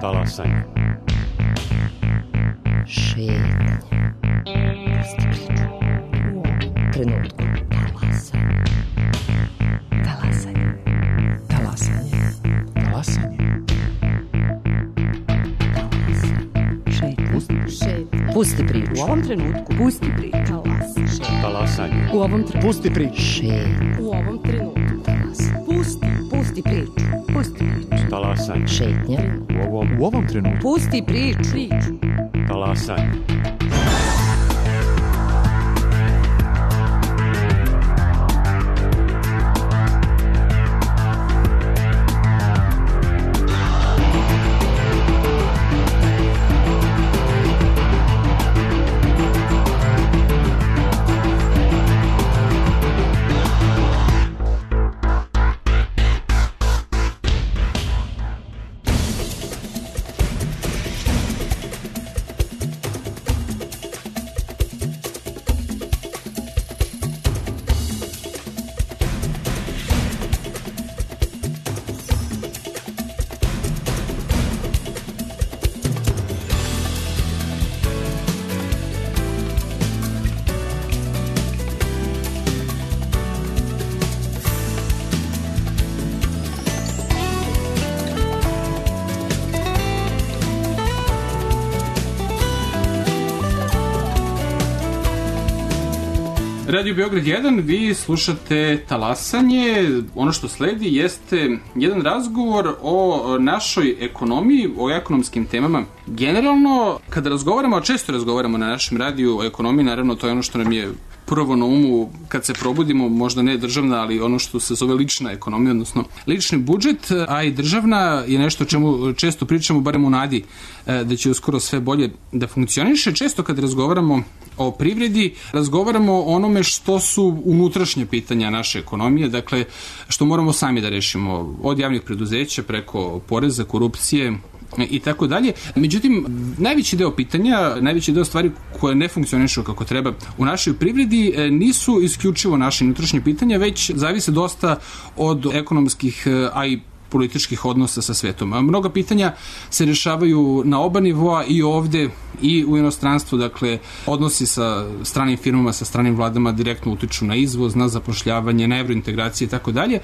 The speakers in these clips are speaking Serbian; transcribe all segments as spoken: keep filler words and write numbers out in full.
Talasanje. Šetnje. Pusti priču. U ovom trenutku. Talasanje. Talasanje. Talasanje. Talasanje. Šetnje. Šetnje. Pusti priču. U ovom trenutku. Pusti priču. Talasanje. U ovom trenutku. Pusti priču. Šetnje. U ovom trenutku. Talasanje. Pusti. Pusti priču. Pusti priču. Talasanje. Šetnje. U ovom, U ovom trenutku. Pusti priču. Priču. talasanje. Radio Beograd jedan, vi slušate Talasanje. Ono što sledi jeste jedan razgovor o našoj ekonomiji, o ekonomskim temama. Generalno, kada razgovaramo, a često razgovaramo na našem radiju o ekonomiji, naravno to je ono što nam je prvo na umu kad se probudimo, možda ne državna, ali ono što se zove lična ekonomija, odnosno lični budžet, a i državna je nešto o čemu često pričamo, barem u nadi da će uskoro sve bolje da funkcioniše. Često kad razgovaramo o privredi, razgovaramo o onome što su unutrašnje pitanja naše ekonomije, dakle što moramo sami da rešimo, od javnih preduzeća preko poreza, korupcije i tako dalje. Međutim, najveći deo pitanja, najveći deo stvari koje ne funkcionišu kako treba u našoj privredi nisu isključivo naše unutrašnje pitanja, već zavise dosta od ekonomskih, a i političkih odnosa sa svetom. A mnoga pitanja se rešavaju na oba nivoa, i ovde i u inostranstvu, dakle odnosi sa stranim firmama, sa stranim vladama direktno utiču na izvoz, na zapošljavanje, na evrointegracije i tako dalje.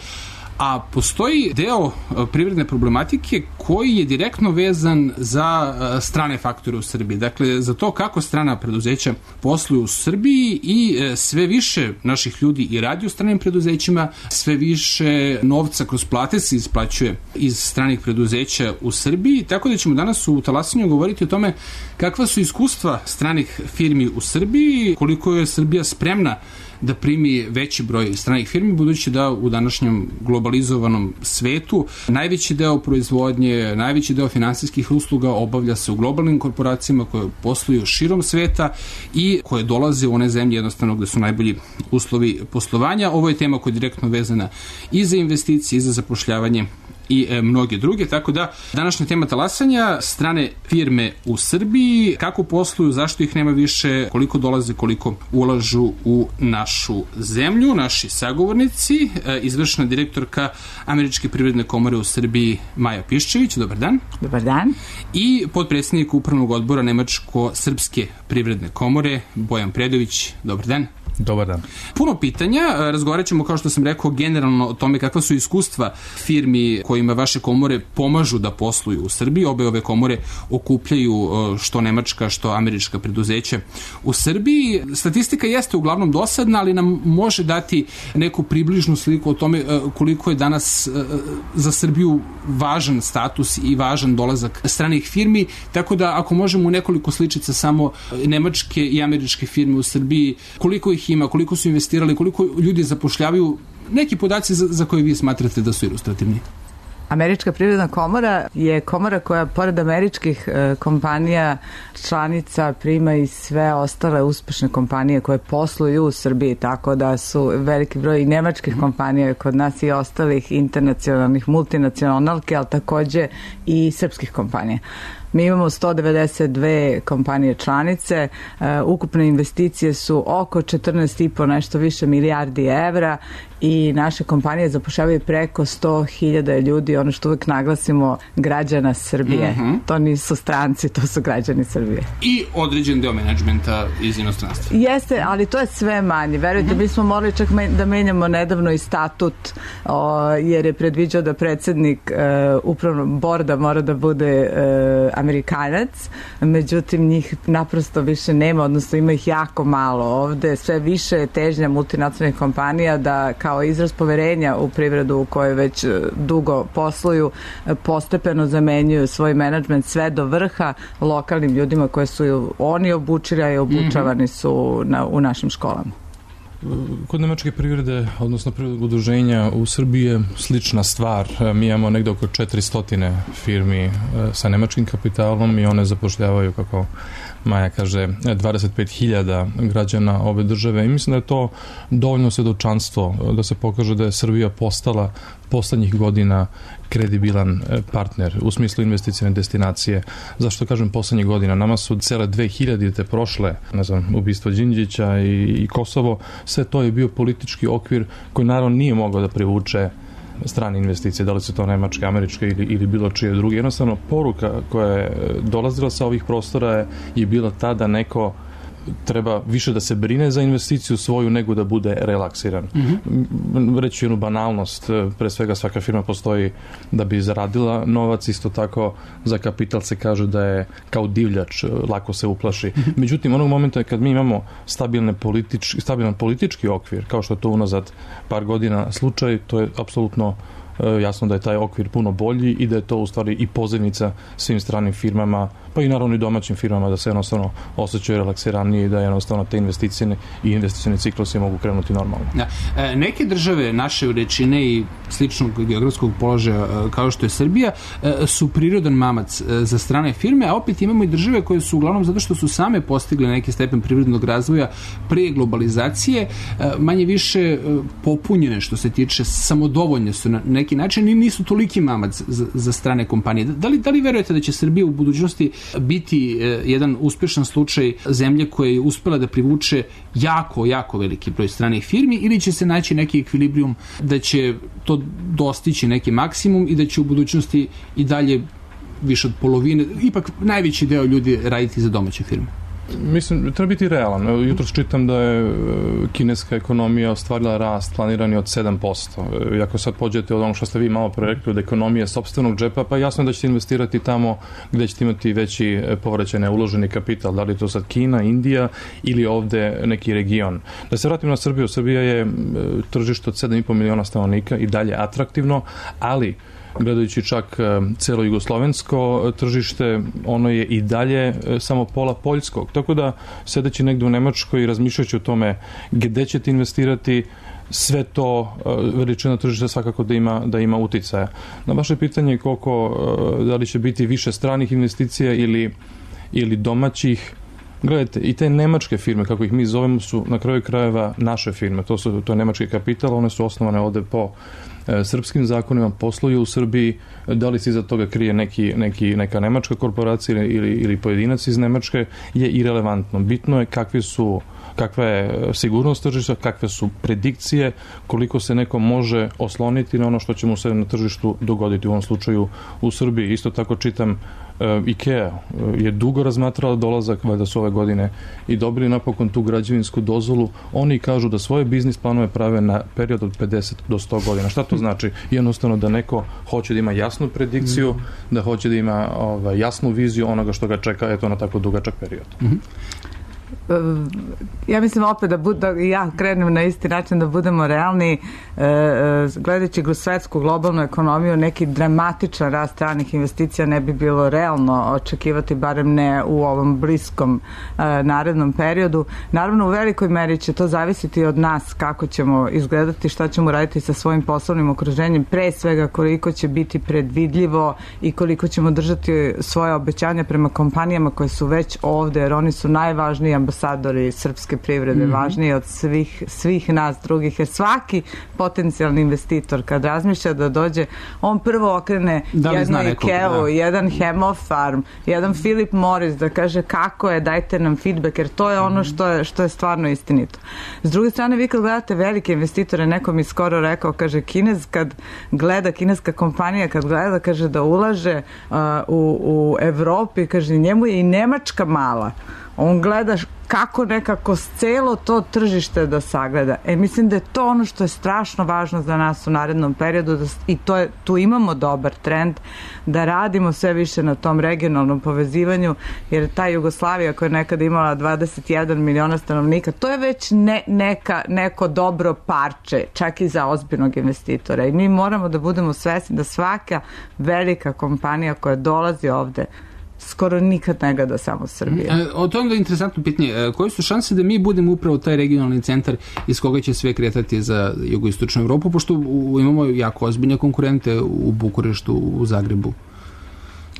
A postoji deo privredne problematike koji je direktno vezan za strane faktore u Srbiji. Dakle, za to kako strana preduzeća posluju u Srbiji, i sve više naših ljudi i radi u stranim preduzećima, sve više novca kroz plate se isplaćuje iz stranih preduzeća u Srbiji, tako da ćemo danas u Talasanju govoriti o tome kakva su iskustva stranih firmi u Srbiji, koliko je Srbija spremna da primi veći broj stranih firmi, budući da u današnjem globalizovanom svetu najveći deo proizvodnje, najveći deo finansijskih usluga obavlja se u globalnim korporacijama koje posluju širom sveta i koje dolaze u one zemlje jednostavno gde su najbolji uslovi poslovanja. Ovo je tema koja je direktno vezana i za investicije, i za zapošljavanje i e, mnoge druge, tako da današnja tema Talasanja, strane firme u Srbiji, kako posluju, zašto ih nema više, koliko dolaze, koliko ulažu u našu zemlju. Naši sagovornici, e, izvršna direktorka Američke privredne komore u Srbiji Maja Piščević, dobar dan. Dobar dan. I potpredsednik upravnog odbora Nemačko-srpske privredne komore Bojan Predović, dobar dan. Dobar dan. Puno pitanja, razgovarat ćemo, kao što sam rekao, generalno o tome kakva su iskustva firmi kojima vaše komore pomažu da posluju u Srbiji. Obe ove komore okupljaju što nemačka, što američka preduzeća u Srbiji. Statistika jeste uglavnom dosadna, ali nam može dati neku približnu sliku o tome koliko je danas za Srbiju važan status i važan dolazak stranih firmi, tako da ako možemo u nekoliko sličica samo nemačke i američke firme u Srbiji, koliko ih ima, koliko su investirali, koliko ljudi zapošljavaju, neki podaci za, za koje vi smatrate da su ilustrativni. Američka privredna komora je komora koja pored američkih e, kompanija članica prima i sve ostale uspešne kompanije koje posluju u Srbiji, tako da su veliki broj i nemačkih kompanija kod nas i ostalih internacionalnih multinacionalki, ali takođe i srpskih kompanija. Mi imamo sto devedeset dve kompanije članice, uh, ukupne investicije su oko četrnaest i po nešto više milijardi evra i naše kompanije zapošljavaju preko sto hiljada ljudi, ono što uvek naglasimo, građana Srbije. Mm-hmm. To nisu stranci, to su građani Srbije. I određen deo menadžmenta iz inostranstva. Jeste, ali to je sve manje. Verujte, mm-hmm. mi smo morali čak me- da menjamo nedavno i statut, o, jer je predviđao da predsednik e, upravnog borda mora da bude e, Amerikanac, međutim njih naprosto više nema, odnosno ima ih jako malo. Ovde sve više je težnja multinacionalnih kompanija da kao izraz poverenja u privredu u kojoj već dugo posluju, postepeno zamenjuju svoj menadžment sve do vrha lokalnim ljudima koje su oni obučili, a i obučavani su na, u našim školama. Kod nemačke privrede, odnosno privrednog udruženja u Srbiji je slična stvar. Mi imamo negde oko četiristo firmi sa nemačkim kapitalom i one zapošljavaju, kako Maja kaže, dvadeset pet hiljada građana ove države i mislim da je to dovoljno svedočanstvo da se pokaže da je Srbija postala poslednjih godina kredibilan partner u smislu investicijne destinacije. Zašto kažem poslednjih godina? Nama su cele dve hiljadite prošle, ne znam, ubistvo Đinđića i, i Kosovo, sve to je bio politički okvir koji naravno nije mogao da privuče strane investicije, da li su to nemačke, američke ili, ili bilo čije druge. Jednostavno, poruka koja je dolazila sa ovih prostora je, je bila ta da neko treba više da se brine za investiciju svoju nego da bude relaksiran. Mm-hmm. Reći jednu banalnost, pre svega svaka firma postoji da bi zaradila novac, isto tako za kapital se kaže da je kao divljač, lako se uplaši. Mm-hmm. Međutim, onog momenta kad mi imamo stabilne politič, stabilan politički okvir, kao što je to unazad par godina slučaj, to je apsolutno jasno da je taj okvir puno bolji i da je to u stvari i pozivnica svim stranim firmama, pa i naravno i domaćim firmama da se jednostavno osjećaju relaksiranije i da jednostavno te investicijne i investicijne ciklusi mogu krenuti normalno. Da. E, neke države naše veličine i sličnog geografskog položaja kao što je Srbija e, su prirodan mamac e, za strane firme, a opet imamo i države koje su uglavnom zato što su same postigle neki stepen privrednog razvoja pre globalizacije, e, manje više e, popunjene što se tiče, samodovoljne su na neki način i nisu toliki mamac za, za strane kompanije. Da li, da li verujete da će Srbija u budućnosti biti e, jedan uspešan slučaj zemlje koja je uspela da privuče jako, jako veliki broj stranih firmi ili će se naći neki ekvilibrijum da će to dostići neki maksimum i da će u budućnosti i dalje više od polovine, ipak najveći deo ljudi raditi za domaće firme? Mislim, treba biti realan. Jutros čitam da je kineska ekonomija ostvarila rast planirani od sedam posto. I ako sad pođete od onog što ste vi malo pre rekli od ekonomije sopstvenog džepa, pa jasno je da ćete investirati tamo gde ćete imati veći povraćaj na uloženi kapital. Da li je to sad Kina, Indija ili ovde neki region. Da se vratim na Srbiju. Srbija je tržište od sedam i po miliona stanovnika i dalje atraktivno, ali gledajući čak celo jugoslovensko tržište, ono je i dalje samo pola poljskog. Tako da, sedeći negde u Nemačkoj i razmišljajući o tome gde ćete investirati, sve to veličina tržišta svakako da ima, da ima uticaja. Na vaše pitanje koliko, da li će biti više stranih investicija ili, ili domaćih, gledajte, i te nemačke firme, kako ih mi zovemo, su na kraju krajeva naše firme. To, su, to je nemački kapital, one su osnovane ovde po e, srpskim zakonima, posluju u Srbiji. Da li se iza toga krije neki, neki, neka nemačka korporacija ili, ili pojedinac iz Nemačke je irelevantno. Bitno je kakvi su kakva je sigurnost tržišta, kakve su predikcije, koliko se neko može osloniti na ono što će mu se na tržištu dogoditi, u ovom slučaju u Srbiji. Isto tako čitam IKEA je dugo razmatrala dolazak, valjda su ove godine i dobili napokon tu građevinsku dozvolu. Oni kažu da svoje biznis planove prave na period od pedeset do sto godina. Šta to znači? Jednostavno da neko hoće da ima jasnu predikciju, mm. da hoće da ima ovaj, jasnu viziju onoga što ga čeka, eto, na tako dugačak period. Mm-hmm. Ja mislim opet da, bud, da ja krenem na isti način, da budemo realni, e, gledajući svetsku globalnu ekonomiju, neki dramatičan rast stranih investicija ne bi bilo realno očekivati, barem ne u ovom bliskom e, narednom periodu. Naravno, u velikoj meri će to zavisiti od nas kako ćemo izgledati, šta ćemo raditi sa svojim poslovnim okruženjem, pre svega koliko će biti predvidljivo i koliko ćemo držati svoje obećanja prema kompanijama koje su već ovde, jer oni su najvažniji ambasadori ambasadori srpske privrede, mm-hmm. važniji od svih, svih nas drugih, jer svaki potencijalni investitor kad razmišlja da dođe, on prvo okrene da jedno Ikeu, da. jedan Hemofarm, jedan Philip Morris da kaže kako je, dajte nam feedback, jer to je ono što je, što je stvarno istinito. S druge strane, vi kad gledate velike investitore, neko mi skoro rekao, kaže, Kinez kad gleda, kineska kompanija kad gleda, kaže da ulaže uh, u, u Evropi, kaže, njemu je i Nemačka mala. On gleda kako nekako celo to tržište da sagleda. E, mislim da je to ono što je strašno važno za nas u narednom periodu da, i to je, tu imamo dobar trend da radimo sve više na tom regionalnom povezivanju, jer ta Jugoslavija koja je nekada imala dvadeset jedan miliona stanovnika, to je već ne, neka, neko dobro parče, čak i za ozbiljnog investitora. I mi moramo da budemo svesni da svaka velika kompanija koja dolazi ovde skoro nikad ne gleda samo Srbije. E, o to je interesantno pitanje. E, koje su šanse da mi budemo upravo taj regionalni centar iz koga će sve kretati za jugoistočnu Evropu, pošto u, imamo jako ozbiljne konkurente u Bukureštu, u Zagrebu?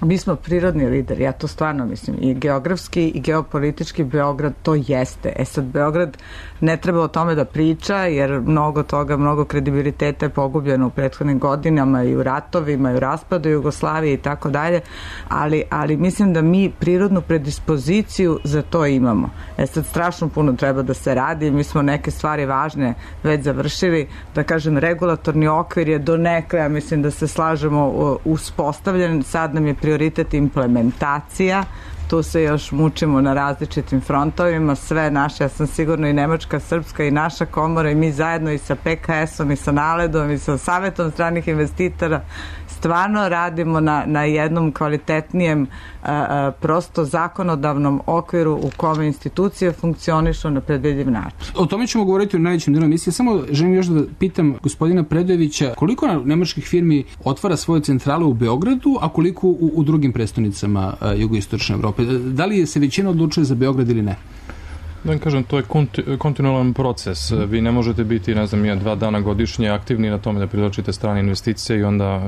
Mi smo prirodni lideri, ja to stvarno mislim, i geografski i geopolitički Beograd to jeste. E sad, Beograd ne treba o tome da priča, jer mnogo toga, mnogo kredibiliteta je pogubljeno u prethodnim godinama i u ratovima i u raspadu Jugoslavije i tako dalje, ali, ali mislim da mi prirodnu predispoziciju za to imamo. E sad, strašno puno treba da se radi, mi smo neke stvari važne već završili, da kažem, regulatorni okvir je do nekle, ja mislim da se slažemo, uspostavljen, sad nam je prioritet implementacija, tu se još mučimo na različitim frontovima, sve naše, ja sam sigurno i Nemačka, Srpska i naša komora i mi zajedno i sa P K S-om i sa Naledom i sa Savetom stranih investitora stvarno radimo na, na jednom kvalitetnijem a, a, prosto zakonodavnom okviru u kome institucije funkcionišu na predvidljiv način. O tome ćemo govoriti u najvećem delu emisije. Samo želim još da pitam gospodina Predojevića koliko nemačkih firmi otvara svoje centrale u Beogradu, a koliko u, u drugim prestonicama a, jugoistočne Evrope. Da li se većina odlučuje za Beograd ili ne? Da vam kažem, to je konti- kontinualan proces. Vi ne možete biti, ne znam, ja, dva dana godišnje aktivni na tome da privlačite strane investicije i onda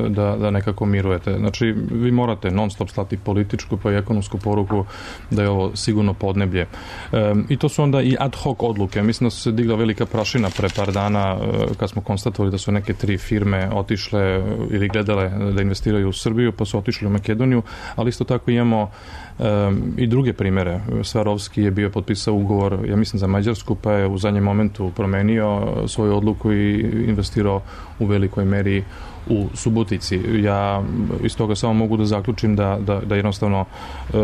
da, da nekako mirujete. Znači, vi morate non stop slati političku pa i ekonomsku poruku da je ovo sigurno podneblje. E, I to su onda i ad hoc odluke. Mislim da su se digla velika prašina pre par dana kad smo konstatovali da su neke tri firme otišle ili gledale da investiraju u Srbiju, pa su otišli u Makedoniju, ali isto tako imamo Um, i druge primere. Svarovski je bio potpisao ugovor, ja mislim, za Mađarsku, pa je u zadnjem momentu promenio svoju odluku i investirao u velikoj meri u Subotici. Ja iz toga samo mogu da zaključim da, da, da jednostavno uh,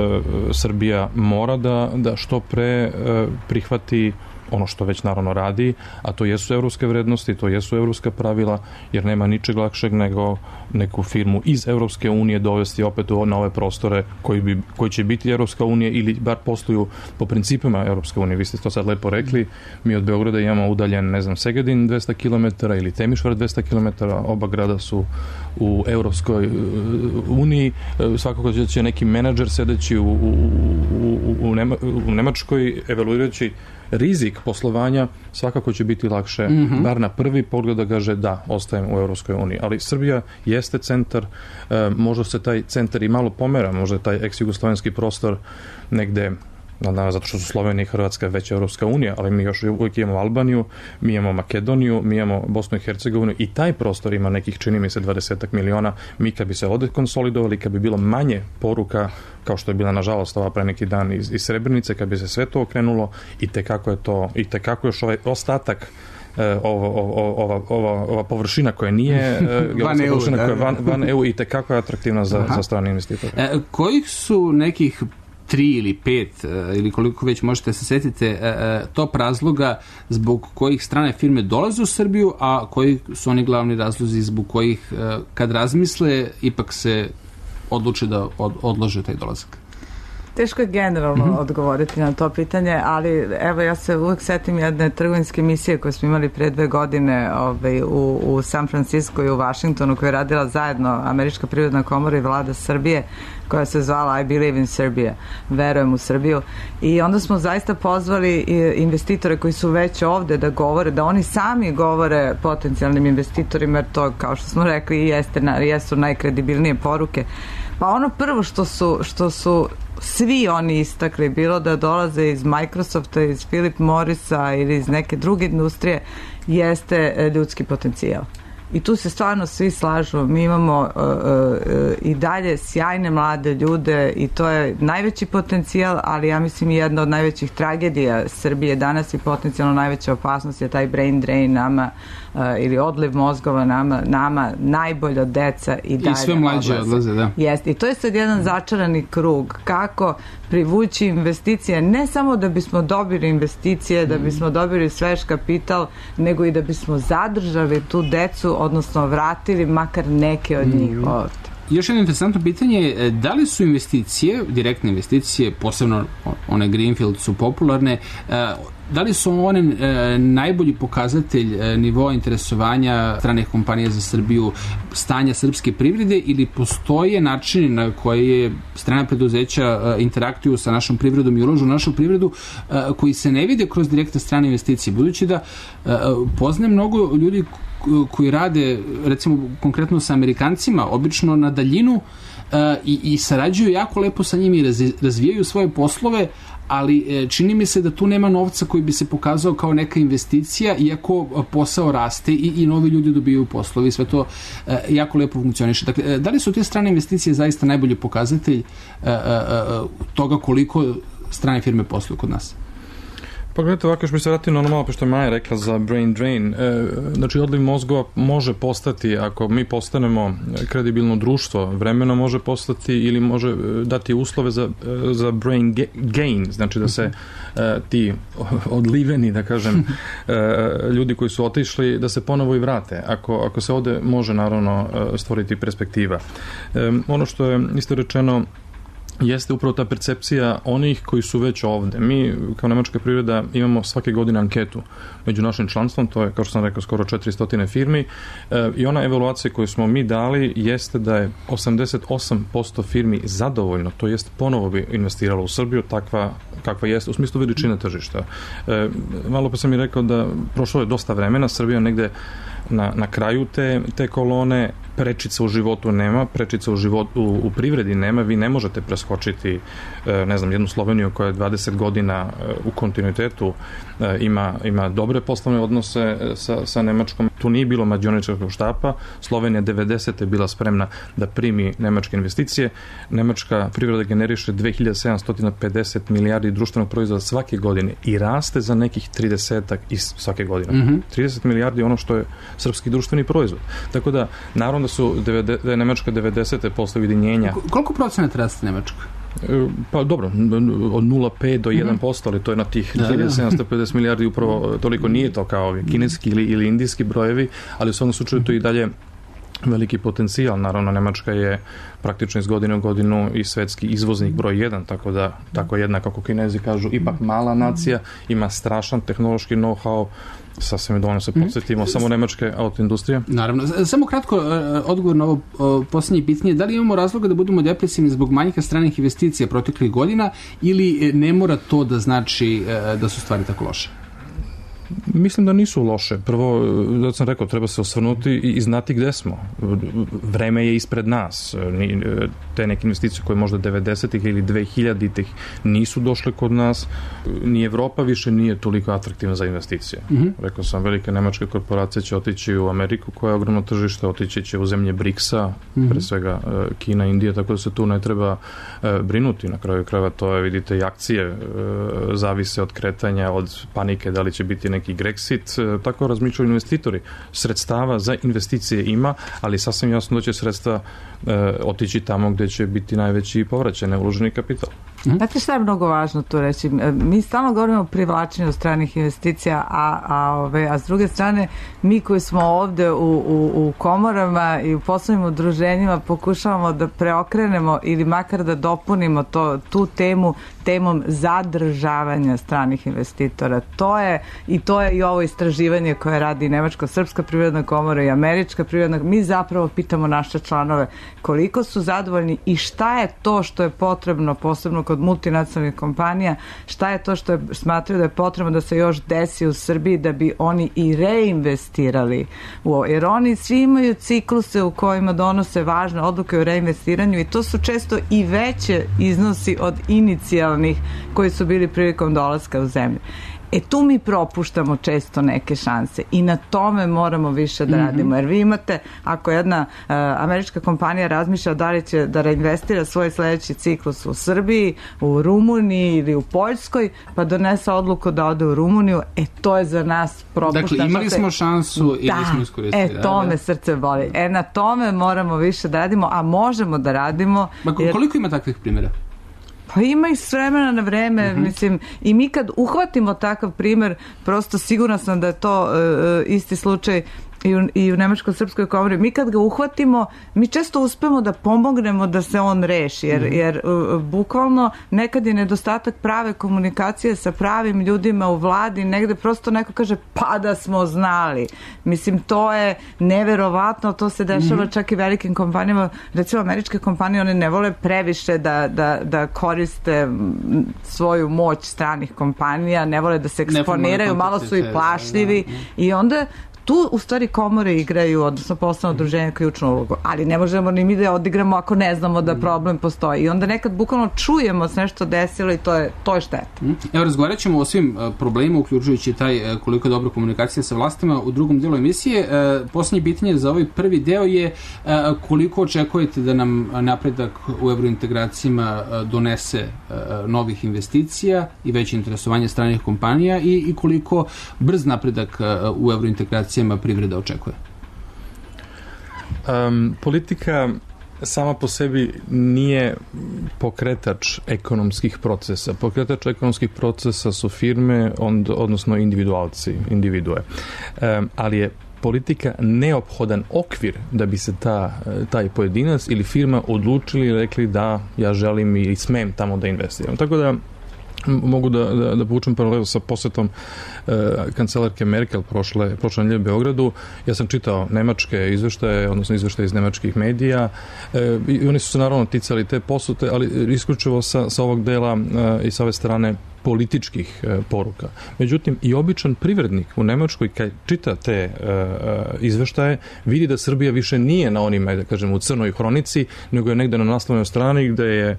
Srbija mora da, da što pre uh, prihvati ono što već naravno radi, a to jesu evropske vrednosti, to jesu evropska pravila, jer nema ničeg lakšeg nego neku firmu iz Evropske unije dovesti opet na ove prostore koji, bi, koji će biti Evropska unija ili bar posluju po principima Evropske unije. Vi ste to sad lepo rekli, mi od Beograda imamo udaljen, ne znam, Segedin dvesta kilometara ili Temišvar dvesta kilometara, oba grada su u Evropskoj uniji, svakako će neki menadžer sedeći u, u, u, u, Nema, u Nemačkoj evaluirajući rizik poslovanja, svakako će biti lakše, mm-hmm. bar na prvi pogled da kaže da, ostajem u Evropskoj uniji. Ali Srbija jeste centar, e, možda se taj centar i malo pomera, možda je taj ex-jugoslovenski prostor negde, nadam, zato što su Slovenija i Hrvatska već Evropska unija, ali mi još uvijek imamo Albaniju, mi imamo Makedoniju, mi imamo Bosnu i Hercegovinu i taj prostor ima nekih, čini mi se, dvadesetak miliona. Mi kad bi se ovde konsolidovali, kad bi bilo manje poruka, kao što je bila nažalost ova pre neki dan iz, iz Srebrenice, kad bi se sve to okrenulo i tekako je to, i tekako još ovaj ostatak Ova, ova, ova, ova površina koja nije van EU, površina koja je van, van E U i tekako je atraktivna za, za strane investitore. E, kojih su nekih tri ili pet ili koliko već možete se setite top razloga zbog kojih strane firme dolaze u Srbiju, a koji su oni glavni razlozi zbog kojih kad razmisle ipak se odluče da od, odlože taj dolazak? Teško je generalno mm-hmm. odgovoriti na to pitanje, ali evo ja se uvek setim jedne trgovinske misije koje smo imali pre dve godine ovaj, u, u San Francisco i u Vašingtonu, koja je radila zajedno Američka privredna komora i vlada Srbije, koja se zvala I Believe in Serbia, verujem u Srbiju, i onda smo zaista pozvali investitore koji su već ovde da govore, da oni sami govore potencijalnim investitorima, jer to, kao što smo rekli, jeste, jesu najkredibilnije poruke. Pa ono prvo što su, što su svi oni istakli, bilo da dolaze iz Microsofta, iz Philip Morrisa ili iz neke druge industrije, jeste ljudski potencijal. I tu se stvarno svi slažu. Mi imamo uh, uh, i dalje sjajne mlade ljude i to je najveći potencijal, ali ja mislim jedna od najvećih tragedija Srbije danas i potencijalno najveća opasnost je taj brain drain nama uh, ili odliv mozgova nama, nama najbolja deca i dalje i sve mlađe odlaze, da. Jeste. I to je sad jedan začarani krug. Kako privući investicije, ne samo da bismo dobili investicije, da bismo dobili svež kapital, nego i da bismo zadržali tu decu, odnosno vratili makar neke od njih ovde. Još jedno interesantno pitanje je da li su investicije, direktne investicije, posebno one Greenfield su popularne, da li su one najbolji pokazatelj nivoa interesovanja stranih kompanija za Srbiju, stanja srpske privrede, ili postoje načini na koje strana preduzeća interaktuju sa našom privredom i ulažu u našu privredu koji se ne vide kroz direktne strane investicije? Budući da poznajem mnogo ljudi koji rade, recimo konkretno sa Amerikancima, obično na daljinu uh, i, i sarađuju jako lepo sa njimi i raz, razvijaju svoje poslove, ali čini mi se da tu nema novca koji bi se pokazao kao neka investicija, iako posao raste i, i novi ljudi dobijaju poslovi i sve to uh, jako lepo funkcioniše. Dakle, da li su te strane investicije zaista najbolji pokazatelj uh, uh, toga koliko strane firme posluju kod nas? Pa gledajte, ovako još mi se vratio na ono malo što je Maja rekla za brain drain. E, znači, odliv mozgova može postati, ako mi postanemo kredibilno društvo, vremeno može postati ili može dati uslove za, za brain gain, znači da se e, ti odliveni, da kažem, e, ljudi koji su otišli, da se ponovo i vrate. Ako, ako se ovde može, naravno, stvoriti perspektiva. E, ono što je isto rečeno, jeste upravo ta percepcija onih koji su već ovde. Mi, kao nemačka privreda, imamo svake godine anketu među našim članstvom, to je, kao što sam rekao, skoro četiristo firmi, e, i ona evaluacija koju smo mi dali jeste da je osamdeset osam posto firmi zadovoljno, to jest ponovo bi investiralo u Srbiju, takva kakva jeste, u smislu veličine tržišta. E, malo pa sam mi rekao da prošlo je dosta vremena, Srbija negde na, na kraju te, te kolone, prečica u životu nema, prečica u, životu, u, u privredi nema, vi ne možete preskočiti, ne znam, jednu Sloveniju koja je dvadeset godina u kontinuitetu, ima, ima dobre poslovne odnose sa, sa Nemačkom. Tu nije bilo mađioničkog štapa, Slovenija devedesete je bila spremna da primi nemačke investicije, nemačka privreda generiše dve hiljade sedamsto pedeset milijardi društvenog proizvoda svake godine i raste za nekih tridesetak i svake godine. Mm-hmm. trideset milijardi je ono što je srpski društveni proizvod. Tako da, naravno da su da je Nemačka devedesete posle ujedinjenja. Koliko procenata raste Nemačka? Pa dobro, od nula zarez pet do jedan posto, ali to je na tih dve hiljade sedamsto pedeset milijardi, upravo toliko nije to kao ovi kineski ili, ili indijski brojevi, ali u svom slučaju to i dalje veliki potencijal. Naravno, Nemačka je praktično iz godine u godinu i svetski izvoznik broj jedan, tako da, tako jedna, kako Kinezi kažu, ipak mala nacija, ima strašan tehnološki know-how, sasvim je dovoljno se podsjetimo, samo nemačke autoindustrije. Naravno. Samo kratko odgovor na ovo posljednje pitanje. Da li imamo razloga da budemo depresivni zbog manjka stranih investicija proteklih godina ili ne mora to da znači da su stvari tako loše? Mislim da nisu loše. Prvo, da sam rekao, treba se osvrnuti i, i znati gde smo. Vreme je ispred nas. Te neke investicije koje možda devedesetih ili dve hiljaditih nisu došle kod nas. Ni Evropa više nije toliko atraktivna za investicije. Mm-hmm. Rekao sam, velike nemačke korporacije će otići u Ameriku koja je ogromno tržište, otići će u zemlje briksa, mm-hmm. pre svega Kina, Indija, tako da se tu ne treba brinuti. Na kraju krajeva to je, vidite, i akcije zavise od kretanja, od panike, da li će biti neki Grexit, tako razmišljaju investitori. Sredstava za investicije ima, ali sasvim jasno da će sredstva e, otići tamo gde će biti najveći povraćaj, neuloženi kapital. Mm-hmm. Znate šta je mnogo važno tu reći? Mi stalno govorimo o privlačenju stranih investicija, a, a, ove, a s druge strane mi koji smo ovde u, u, u komorama i u poslovnim udruženjima pokušavamo da preokrenemo ili makar da dopunimo to, tu temu temom zadržavanja stranih investitora. To je i to je i ovo istraživanje koje radi Nemačko-srpska privredna komora i Američka privredna. Mi zapravo pitamo naše članove koliko su zadovoljni i šta je to što je potrebno, posebno kod multinacionalnih kompanija, šta je to što je, smatraju da je potrebno da se još desi u Srbiji da bi oni i reinvestirali u ovo. Jer oni svi imaju cikluse u kojima donose važne odluke o reinvestiranju i to su često i veće iznosi od inicijalnih koji su bili prilikom dolaska u zemlju. E tu mi propuštamo često neke šanse i na tome moramo više da radimo. Jer vi imate, ako jedna uh, američka kompanija razmišlja da li će da reinvestira svoj sledeći ciklus u Srbiji, u Rumuniji ili u Poljskoj, pa donese odluku da ode u Rumuniju, e to je za nas propušta. Dakle, imali smo šansu i da, nismo iskoristili. E, to me srce boli. E, na tome moramo više da radimo, a možemo da radimo. Ma, koliko ima takvih primjera? Pa ima i s vremena na vreme, uh-huh. mislim, i mi kad uhvatimo takav primer, prosto sigurna sam da je to uh, isti slučaj i u, i u Nemačko-srpskoj komori. Mi kad ga uhvatimo, mi često uspemo da pomognemo da se on reši, jer, mm. jer uh, bukvalno nekad je nedostatak prave komunikacije sa pravim ljudima u vladi, negde prosto neko kaže pa da smo znali. Mislim, to je neverovatno, to se dešava mm. čak i velikim kompanijama, recimo američke kompanije, one ne vole previše da, da, da koriste svoju moć stranih kompanija, ne vole da se eksponiraju, malo su i plašljivi da, da, da. I onda tu u stvari komore igraju, odnosno poslovno udruženje ključnu ulogu, ali ne možemo ni mi da odigramo ako ne znamo da problem postoji. I onda nekad bukvalno čujemo se nešto desilo i to je, to je šteta. Evo, razgovarat ćemo o svim problemima, uključujući taj koliko je dobra komunikacija sa vlastima u drugom delu emisije. Poslednje pitanje za ovaj prvi deo je koliko očekujete da nam napredak u evrointegracijama donese novih investicija i veće interesovanje stranih kompanija i, i koliko brz napredak u evrointegracijama privreda očekuje? Um, politika sama po sebi nije pokretač ekonomskih procesa. Pokretač ekonomskih procesa su firme, ond, odnosno individualci, individue. Um, ali je politika neophodan okvir da bi se ta, taj pojedinac ili firma odlučili i rekli da ja želim i smem tamo da investiram. Tako da mogu da, da, da povučem paralelu sa posetom e, kancelarke Merkel prošle, prošle nedelje u Beogradu. Ja sam čitao nemačke izveštaje, odnosno izveštaje iz nemačkih medija e, i oni su se naravno ticali te posute, ali isključivo sa, sa ovog dela e, i sa ove strane političkih e, poruka. Međutim, i običan privrednik u Nemačkoj kad čita te e, izveštaje, vidi da Srbija više nije na onima, da kažem, u crnoj hronici, nego je negde na naslovnoj strani gde je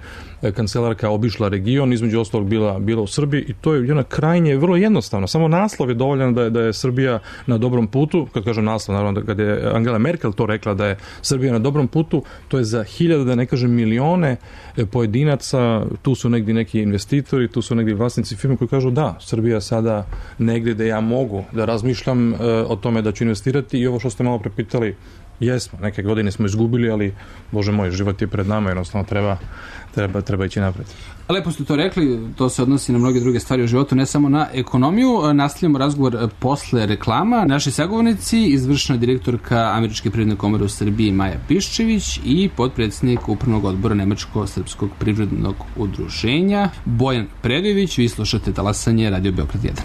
kancelarka obišla region, između ostalog bila, bila u Srbiji i to je jedna krajnje, vrlo jednostavno. Samo naslov je dovoljan da je, da je Srbija na dobrom putu. Kad kažem naslov, naravno, kad je Angela Merkel to rekla da je Srbija na dobrom putu, to je za hiljade, da ne kažem milione pojedinaca, tu su negdje neki investitori, tu su negdje vlasnici firme koji kažu da, Srbija sada negdje da ja mogu da razmišljam e, o tome da ću investirati i ovo što ste malo prepitali, jesmo, neke godine smo izgubili, ali Bože moj, život je pred nama, jednostavno treba, treba, treba ići napred. Lepo ste to rekli, to se odnosi na mnoge druge stvari u životu, ne samo na ekonomiju. Nastavljamo razgovor posle reklama. Naši sagovornici, izvršna direktorka Američke privredne komore u Srbiji Maja Piščević i potpredsjednik upravnog odbora Nemačko-srpskog privrednog udruženja Bojan Predojević. Vi slušate Talasanje, Radio Beograd jedan.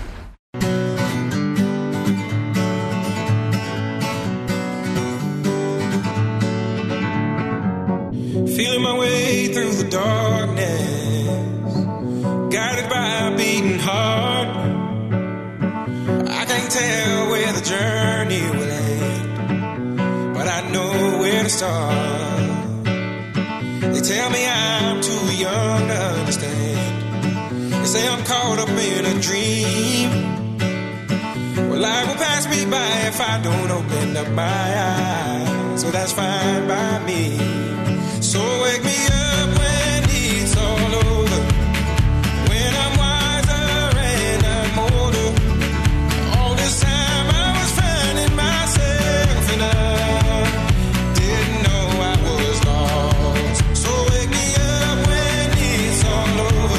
Feeling my way through the darkness, guided by a beating heart. I can't tell where the journey will end, but I know where to start. They tell me I'm too young to understand. They say I'm caught up in a dream. Well, life will pass me by if I don't open up my eyes, so that's fine by me. So wake me up when it's all over, when I'm wiser and I'm older. All this time I was finding myself and I didn't know I was lost. So wake me up when it's all over.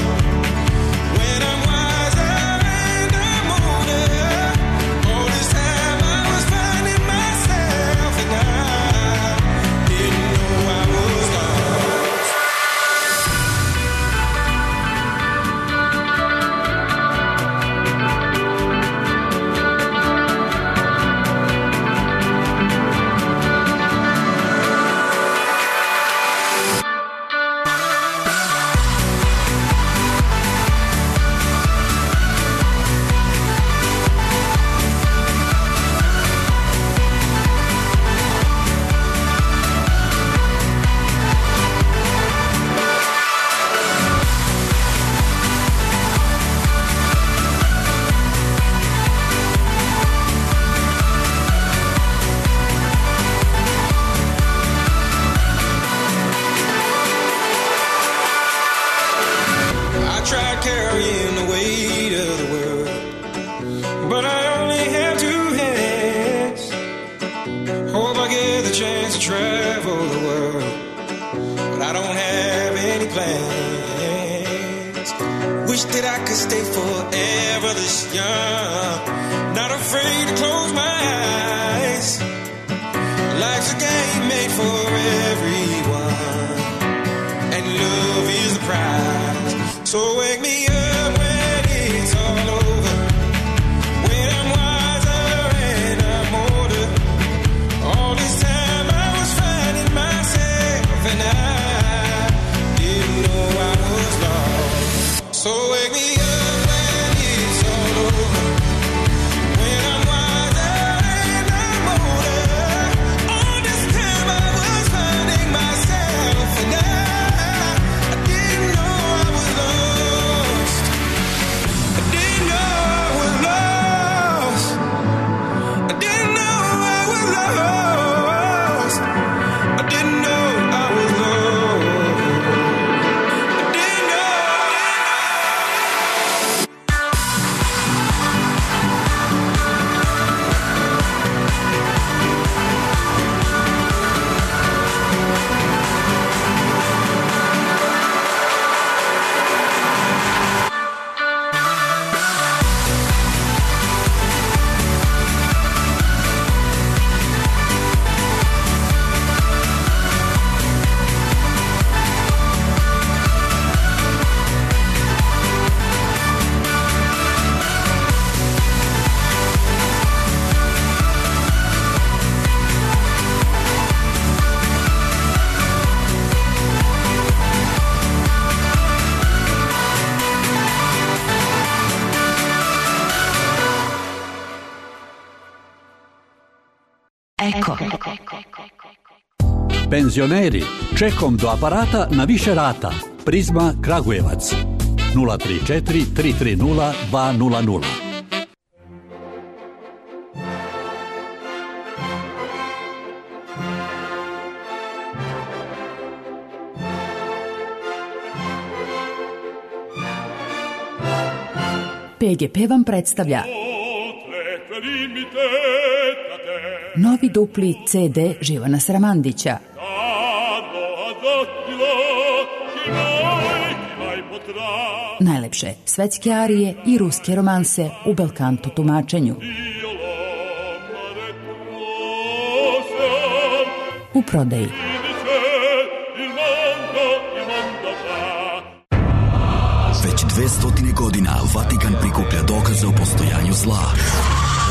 chance to travel the world, but I don't have any plans. Wish that I could stay forever this young, not afraid to close my eyes. Life's a game made for everyone, and love is the prize. So wake me up when it's all over, when I'm wiser and I'm older. All this time I was finding myself, and I didn't know I was lost. So wake me up when it's all over, when I'm wiser and I'm older. All this time I was finding myself, and I, I didn't know I was lost. I didn't know I was lost. I didn't know I was lost. I didn't know I was lost. I didn't know. Eko. Penzioneri, čekom do aparata na više rata. Prizma Kragujevac. nula tri četiri tri tri nula dva nula nula. P G P vam predstavlja novi dupli C D Živana Sramandića. Najlepše svetske arije i ruske romanse u belkanto tumačenju. U prodaji. Već dve stotine godina Vatikan prikuplja dokaze o postojanju zla.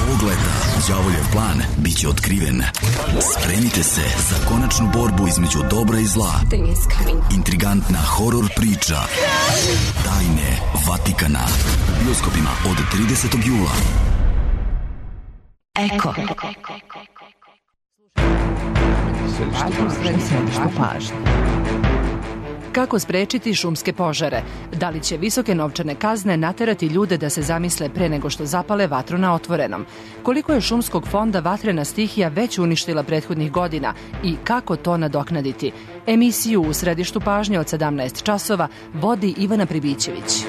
Ovog leta đavoljev plan biće otkriven. Spremite se za konačnu borbu između dobra i zla. Intrigantna horor priča Tajne Vatikana u bioskopima od tridesetog jula. Eko. Središte pažnje. Kako sprečiti šumske požare? Da li će visoke novčane kazne naterati ljude da se zamisle pre nego što zapale vatru na otvorenom? Koliko je šumskog fonda vatrena stihija već uništila prethodnih godina i kako to nadoknaditi? Emisiju u središtu pažnje od sedamnaest časova vodi Ivana Pribićević.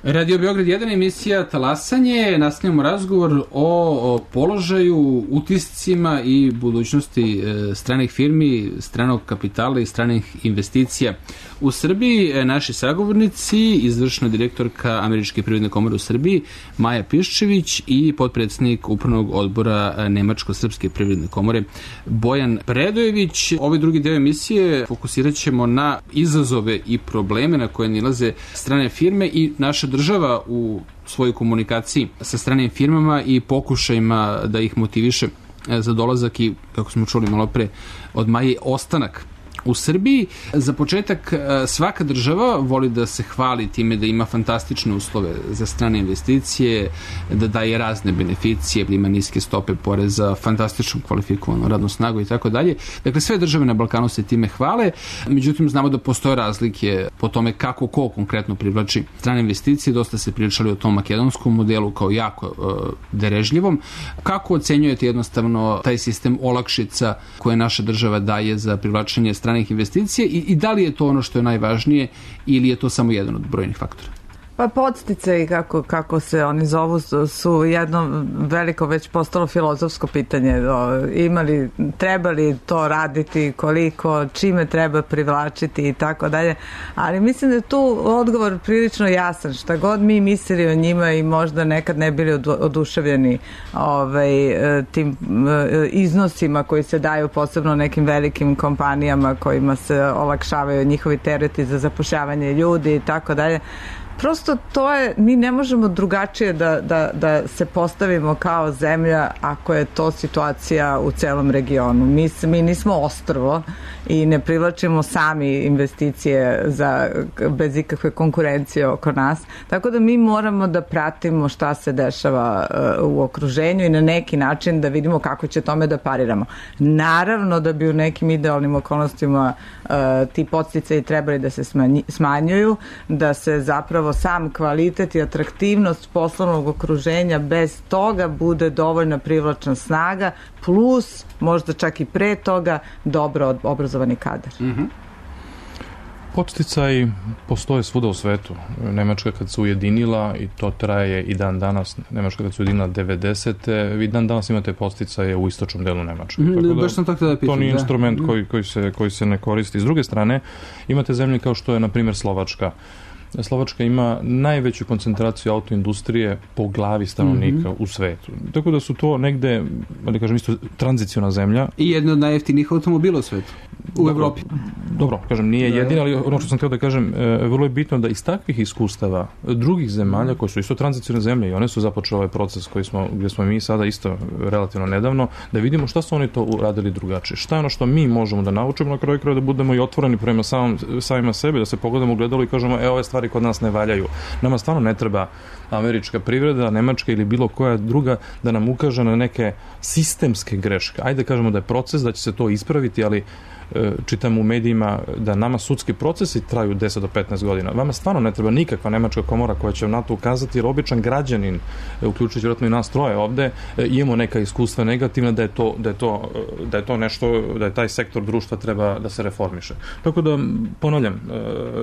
Radio Beograd jedan, emisija Talasanje. Nastavljamo razgovor o položaju, utiscima i budućnosti stranih firmi, stranog kapitala i stranih investicija u Srbiji. Naši sagovornici, izvršna direktorka Američke privredne komore u Srbiji Maja Piščević i potpredsednik upravnog odbora Nemačko-srpske privredne komore Bojan Predojević. Ovaj drugi deo emisije fokusirat ćemo na izazove i probleme na koje nilaze strane firme i naša država u svojoj komunikaciji sa stranim firmama i pokušajima da ih motiviše za dolazak i, kako smo čuli malo pre od Maje, ostanak u Srbiji. Za početak, svaka država voli da se hvali time da ima fantastične uslove za strane investicije, da daje razne beneficije, da ima niske stope poreza, fantastično kvalifikovanu radnu snagu i tako dalje. Dakle, sve države na Balkanu se time hvale, međutim znamo da postoje razlike po tome kako ko konkretno privlači strane investicije. Dosta se pričali o tom makedonskom modelu kao jako uh, derežljivom. Kako ocenjujete jednostavno taj sistem olakšica koje naša država daje za privlačenje stranih investicija i, i da li je to ono što je najvažnije ili je to samo jedan od brojnih faktora? Pa podsticaji, kako, kako se oni zovu, su, su jedno veliko već postalo filozofsko pitanje. Imali, trebali to raditi, koliko, čime treba privlačiti i tako dalje. Ali mislim da je tu odgovor prilično jasan. Šta god mi mislili o njima i možda nekad ne bili oduševljeni ovaj, tim iznosima koji se daju posebno nekim velikim kompanijama kojima se olakšavaju njihovi tereti za zapošljavanje ljudi i tako dalje. Prosto to je, mi ne možemo drugačije da, da, da se postavimo kao zemlja ako je to situacija u celom regionu. Mi, mi nismo ostrvo i ne privlačimo sami investicije za, bez ikakve konkurencije oko nas. Tako da mi moramo da pratimo šta se dešava uh, u okruženju i na neki način da vidimo kako će tome da pariramo. Naravno da bi u nekim idealnim okolnostima uh, ti podsticaji trebali da se smanji, smanjuju, da se zapravo sam kvalitet i atraktivnost poslovnog okruženja bez toga bude dovoljna privlačna snaga, plus možda čak i pre toga dobro obrazovani kadar. Mm-hmm. Podsticaji postoje svuda u svetu. Nemačka kad se ujedinila, i to traje i dan danas, Nemačka kad se ujedinila devedesete. Vi dan danas imate podsticaje u istočnom delu Nemačke. Mm, Tako da, baš sam tako da pitam, to nije da. instrument Mm. koji, koji, se, koji se ne koristi. S druge strane, imate zemlje kao što je, na primjer, Slovačka. Slovačka ima najveću koncentraciju autoindustrije po glavi stanovnika mm-hmm. u svetu. Tako da su to negde, da kažem isto, tranziciona zemlja. I jedna od najjeftinijih automobila u svetu. U dobro, Evropi. Dobro, kažem, nije da, jedina, ali ono što sam htio da kažem, e, vrlo je bitno da iz takvih iskustava drugih zemalja, koje su isto tranzicione zemlje i one su započele ovaj proces koji smo, gdje smo mi sada isto relativno nedavno, da vidimo šta su oni to uradili drugačije. Šta je ono što mi možemo da naučimo na kraju kraja, da budemo i otvoreni prema samom, samima sebe, da se pogledamo u gledalo i kažemo, e, ove stvari kod nas ne valjaju. Nama stvarno ne treba američka privreda, nemačka ili bilo koja druga da nam ukaže na neke sistemske greške. Ajde da kažemo da je proces, da će se to ispraviti, ali čitam u medijima da nama sudski procesi traju deset do petnaest godina. Vama stvarno ne treba nikakva nemačka komora koja će na to ukazati, jer običan građanin, uključujući vjerojatno i nas troje ovde, imamo neka iskustva negativna da je to, da je to, da je to nešto, da je taj sektor društva treba da se reformiše. Tako da, ponavljam,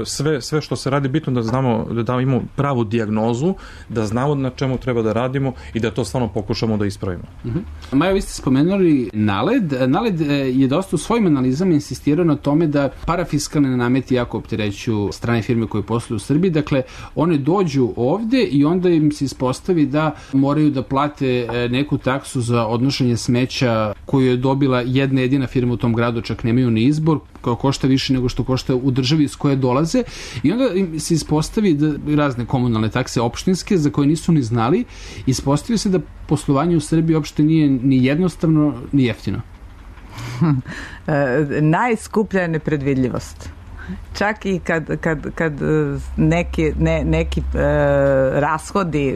sve, sve što se radi, bitno da znamo, da imamo pravu dijagnozu, da znamo na čemu treba da radimo i da to stvarno pokušamo da ispravimo. Mm-hmm. Maja, vi ste spomenuli NALED. NALED je dosta u svojim analizama insistirao na tome da parafiskalne nameti jako opterećuju strane firme koje posluju u Srbiji. Dakle, one dođu ovde i onda im se ispostavi da moraju da plate neku taksu za odnošenje smeća koju je dobila jedna jedina firma u tom gradu, čak nemaju ni izbor, koja košta više nego što košta u državi iz koje dolaze. I onda im se ispostavi da razne komunalne takse opštinske za koje nisu ni znali, ispostavi se da poslovanje u Srbiji uopšte nije ni jednostavno ni jeftino. Najskuplja je nepredvidljivost. Čak i kad, kad, kad neki, ne, neki e, rashodi e,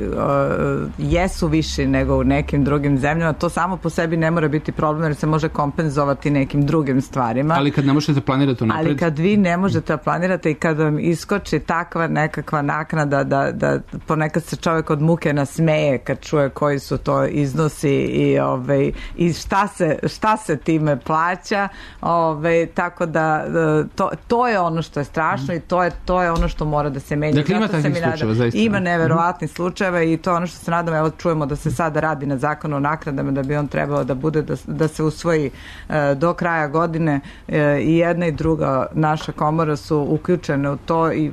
jesu viši nego u nekim drugim zemljama, to samo po sebi ne mora biti problem, jer se može kompenzovati nekim drugim stvarima. Ali kad ne možete planirati unapred? Ali kad vi ne možete da planirate i kad vam iskoči takva nekakva naknada da, da ponekad se čovjek od muke nasmeje kad čuje koji su to iznosi i, ovaj, i šta, se, šta se time plaća, ovaj, tako da to, to je ono što je strašno i to je, to je ono što mora da se menja. Dakle, ima takvih slučajeva, zaista. Ima neverovatnih slučajeva i to je ono što se nadam, evo čujemo da se sada radi na zakonu o naknadama, da bi on trebao da bude, da, da se usvoji e, do kraja godine e, i jedna i druga naša komora su uključene u to i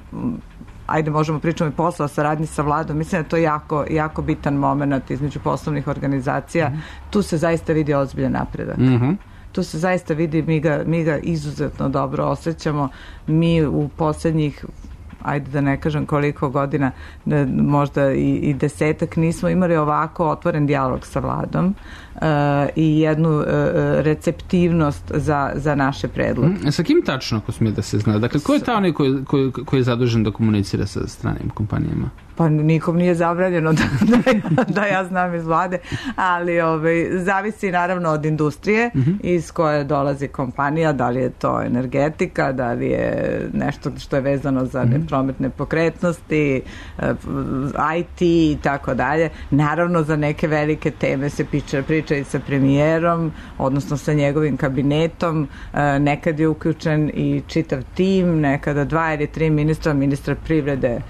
ajde možemo pričamo i posla o saradnji sa vladom. Mislim da je to jako, jako bitan moment između poslovnih organizacija. Mm-hmm. Tu se zaista vidi ozbiljan napredak. Mm-hmm. Tu se zaista vidi, mi ga, mi ga izuzetno dobro osjećamo. Mi u posljednjih, ajde da ne kažem koliko godina, možda i, i desetak, nismo imali ovako otvoren dijalog sa vladom uh, i jednu uh, receptivnost za, za naše predloge. Mm, sa kim tačno, ako smije da se zna? Dakle, ko je ta onaj koji, koji, koji je zadužen da komunicira sa stranim kompanijama? Pa nikom nije zabranjeno da, da, da ja znam iz vlade, ali ovaj, zavisi naravno od industrije mm-hmm. iz koje dolazi kompanija, da li je to energetika, da li je nešto što je vezano za mm-hmm. prometne pokretnosti, I T i tako dalje. Naravno za neke velike teme se priča, priča i sa premijerom, odnosno sa njegovim kabinetom. Nekad je uključen i čitav tim, nekada dva ili tri ministra, ministra privrede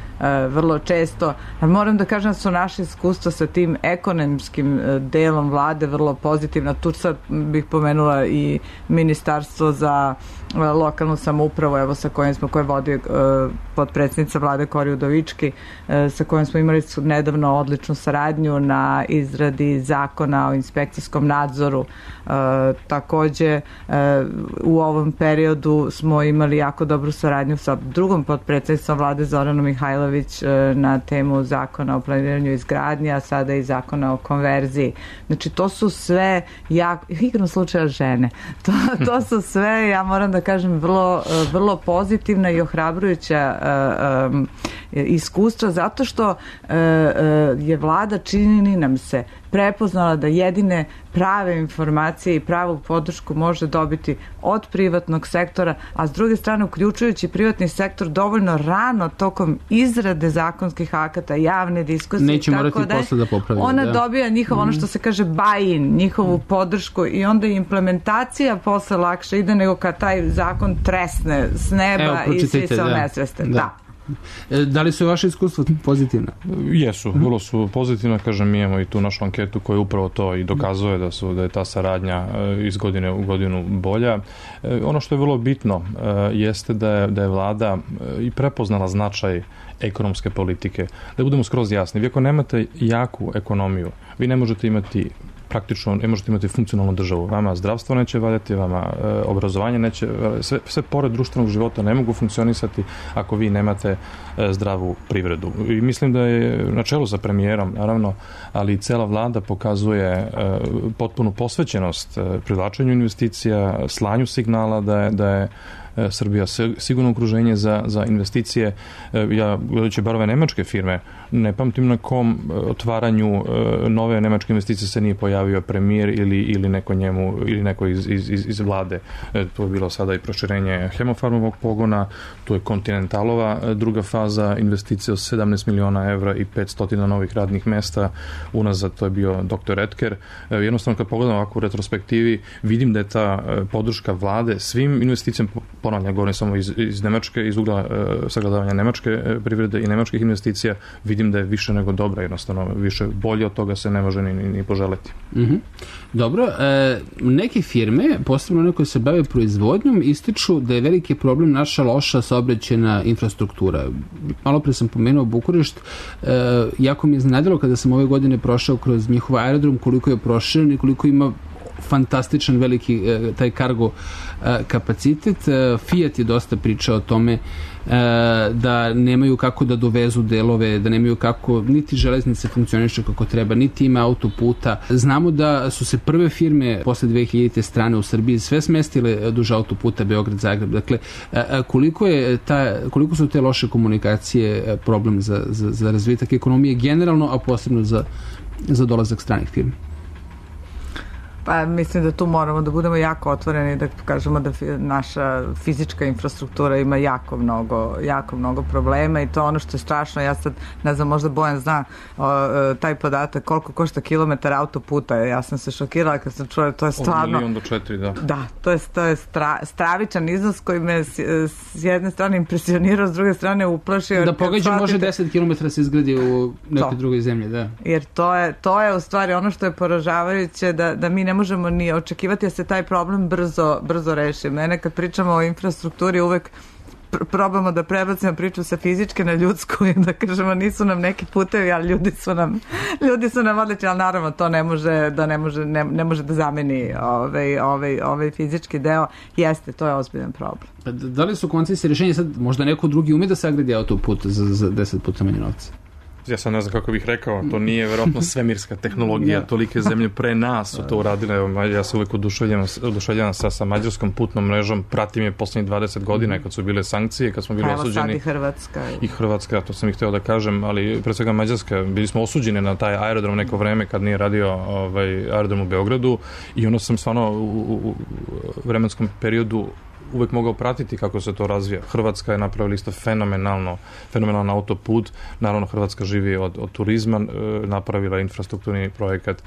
vrlo često. Moram da kažem da su naše iskustva sa tim ekonomskim delom vlade vrlo pozitivna. Tu sad bih pomenula i Ministarstvo za lokalnu samoupravu, evo sa kojim smo, koje vodi potpredsjednica vlade Kori Udovički, sa kojim smo imali nedavno odličnu saradnju na izradi zakona o inspekcijskom nadzoru. Takođe, u ovom periodu smo imali jako dobru saradnju sa drugom potpredsjednicom vlade Zoranom Mihajlović na temu zakona o planiranju izgradnje, a sada i zakona o konverziji. Znači, to su sve jako, igrom slučaja žene, to, to su sve, ja moram da kažem, vrlo, vrlo pozitivna i ohrabrujuća uh, um, iskustva, zato što uh, uh, je vlada, čini nam se, prepoznala da jedine prave informacije i pravu podršku može dobiti od privatnog sektora, a s druge strane uključujući privatni sektor dovoljno rano tokom izrade zakonskih akata, javne diskusije. Neće morati da posle da popravi. Ona da. dobija njihov, ono što se kaže buy-in, njihovu podršku i onda implementacija posle lakše ide nego kad taj zakon tresne s neba. Evo, i svi se onesveste. Da. da. Da li su vaše iskustva pozitivna? Jesu, vrlo su pozitivna, kažem, mi imamo i tu našu anketu koja upravo to i dokazuje da su da je ta saradnja iz godine u godinu bolja. Ono što je vrlo bitno jeste da je, da je vlada i prepoznala značaj ekonomske politike. Da budemo skroz jasni, vi ako nemate jaku ekonomiju, vi ne možete imati praktično, ne možete imati funkcionalnu državu. Vama zdravstvo neće valjati, vama e, obrazovanje neće, sve, sve pored društvenog života ne mogu funkcionisati ako vi nemate e, zdravu privredu. I mislim da je na čelu sa premijerom, naravno, ali i cela vlada pokazuje e, potpunu posvećenost e, privlačenju investicija, slanju signala da je, da je Srbija sigurno okruženje za, za investicije. Ja, gledajući bar ove nemačke firme, ne pamtim na kom otvaranju nove nemačke investicije se nije pojavio premijer ili, ili neko njemu, ili neko iz, iz, iz vlade. Tu je bilo sada i proširenje Hemofarmovog pogona, tu je Kontinentalova druga faza, investicija od sedamnaest miliona evra i petsto novih radnih mesta. Unazad to je bio doktor Etker. Jednostavno, kad pogledam ovako u retrospektivi, vidim da je ta podrška vlade svim investicijama, ponavljam, govorim samo iz, iz Nemačke, iz ugla uh, sagledavanja nemačke uh, privrede i nemačkih investicija, vidim da je više nego dobra, jednostavno više bolje od toga se ne može ni, ni, ni poželeti. Mm-hmm. Dobro, e, neke firme, posebno one koje se bave proizvodnjom, ističu da je veliki problem naša loša saobraćajna infrastruktura. Malo pre sam pomenuo Bukurešt, e, jako mi je iznenadilo kada sam ove godine prošao kroz njihov aerodrom, koliko je proširen i koliko ima fantastičan veliki e, taj kargo e, kapacitet. E, Fiat je dosta pričao o tome e, da nemaju kako da dovezu delove, da nemaju kako, niti železnice funkcioniše kako treba, niti ima autoputa. Znamo da su se prve firme posle dve hiljadite strane u Srbiji sve smestile duž autoputa Beograd-Zagreb. Dakle, e, koliko, je ta, koliko su te loše komunikacije problem za, za, za razvitak ekonomije generalno, a posebno za, za dolazak stranih firmi? Pa mislim da tu moramo da budemo jako otvoreni, da kažemo da naša fizička infrastruktura ima jako mnogo, jako mnogo problema i to ono što je strašno. Ja sad, ne znam, možda Bojan zna o, taj podatak koliko košta kilometar autoputa. Ja sam se šokirala kad sam čula, to je stvarno... Od milijon do četiri, da. Da, to je, to je stra, stravičan iznos koji me s, s jedne strane impresionirao, s druge strane uplašio. Da pogađa može deset kilometara se izgradi u nekoj drugoj zemlji, da. Jer to je, to je u stvari ono što je poražavajuće, da, da mi ne možemo ni očekivati da se taj problem brzo, brzo reši. Mene kad pričamo o infrastrukturi uvek pr- probamo da prebacimo priču sa fizičke na ljudsku i da kažemo nisu nam neki putevi, ali ljudi su nam ljudi su nam odlični, ali naravno to ne može da ne može, ne, ne može da zameni ovaj, ovaj, ovaj fizički deo. Jeste, to je ozbiljan problem. Da li su koncesije rješenje sad, možda neko drugi ume da sagradi autoput za, za deset puta manje novca? Ja sam ne znam kako bih rekao, to nije verovatno svemirska tehnologija, yeah. Tolike zemlje pre nas su to uradile. Evo, ja se uvek oduševljavam, oduševljavam sa, sa mađarskom putnom mrežom, pratim je poslednjih dvadeset godina kad su bile sankcije, kad smo bili Evo osuđeni. Sad i Hrvatska. I Hrvatska, to sam ih hteo da kažem, ali pre svega Mađarska, bili smo osuđeni na taj aerodrom neko vreme kad nije radio ovaj, aerodrom u Beogradu i ono sam stvarno u, u, u vremenskom periodu uvek mogao pratiti kako se to razvija. Hrvatska je napravila isto fenomenalno, fenomenalan autoput. Naravno, Hrvatska živi od, od turizma, napravila infrastrukturni projekat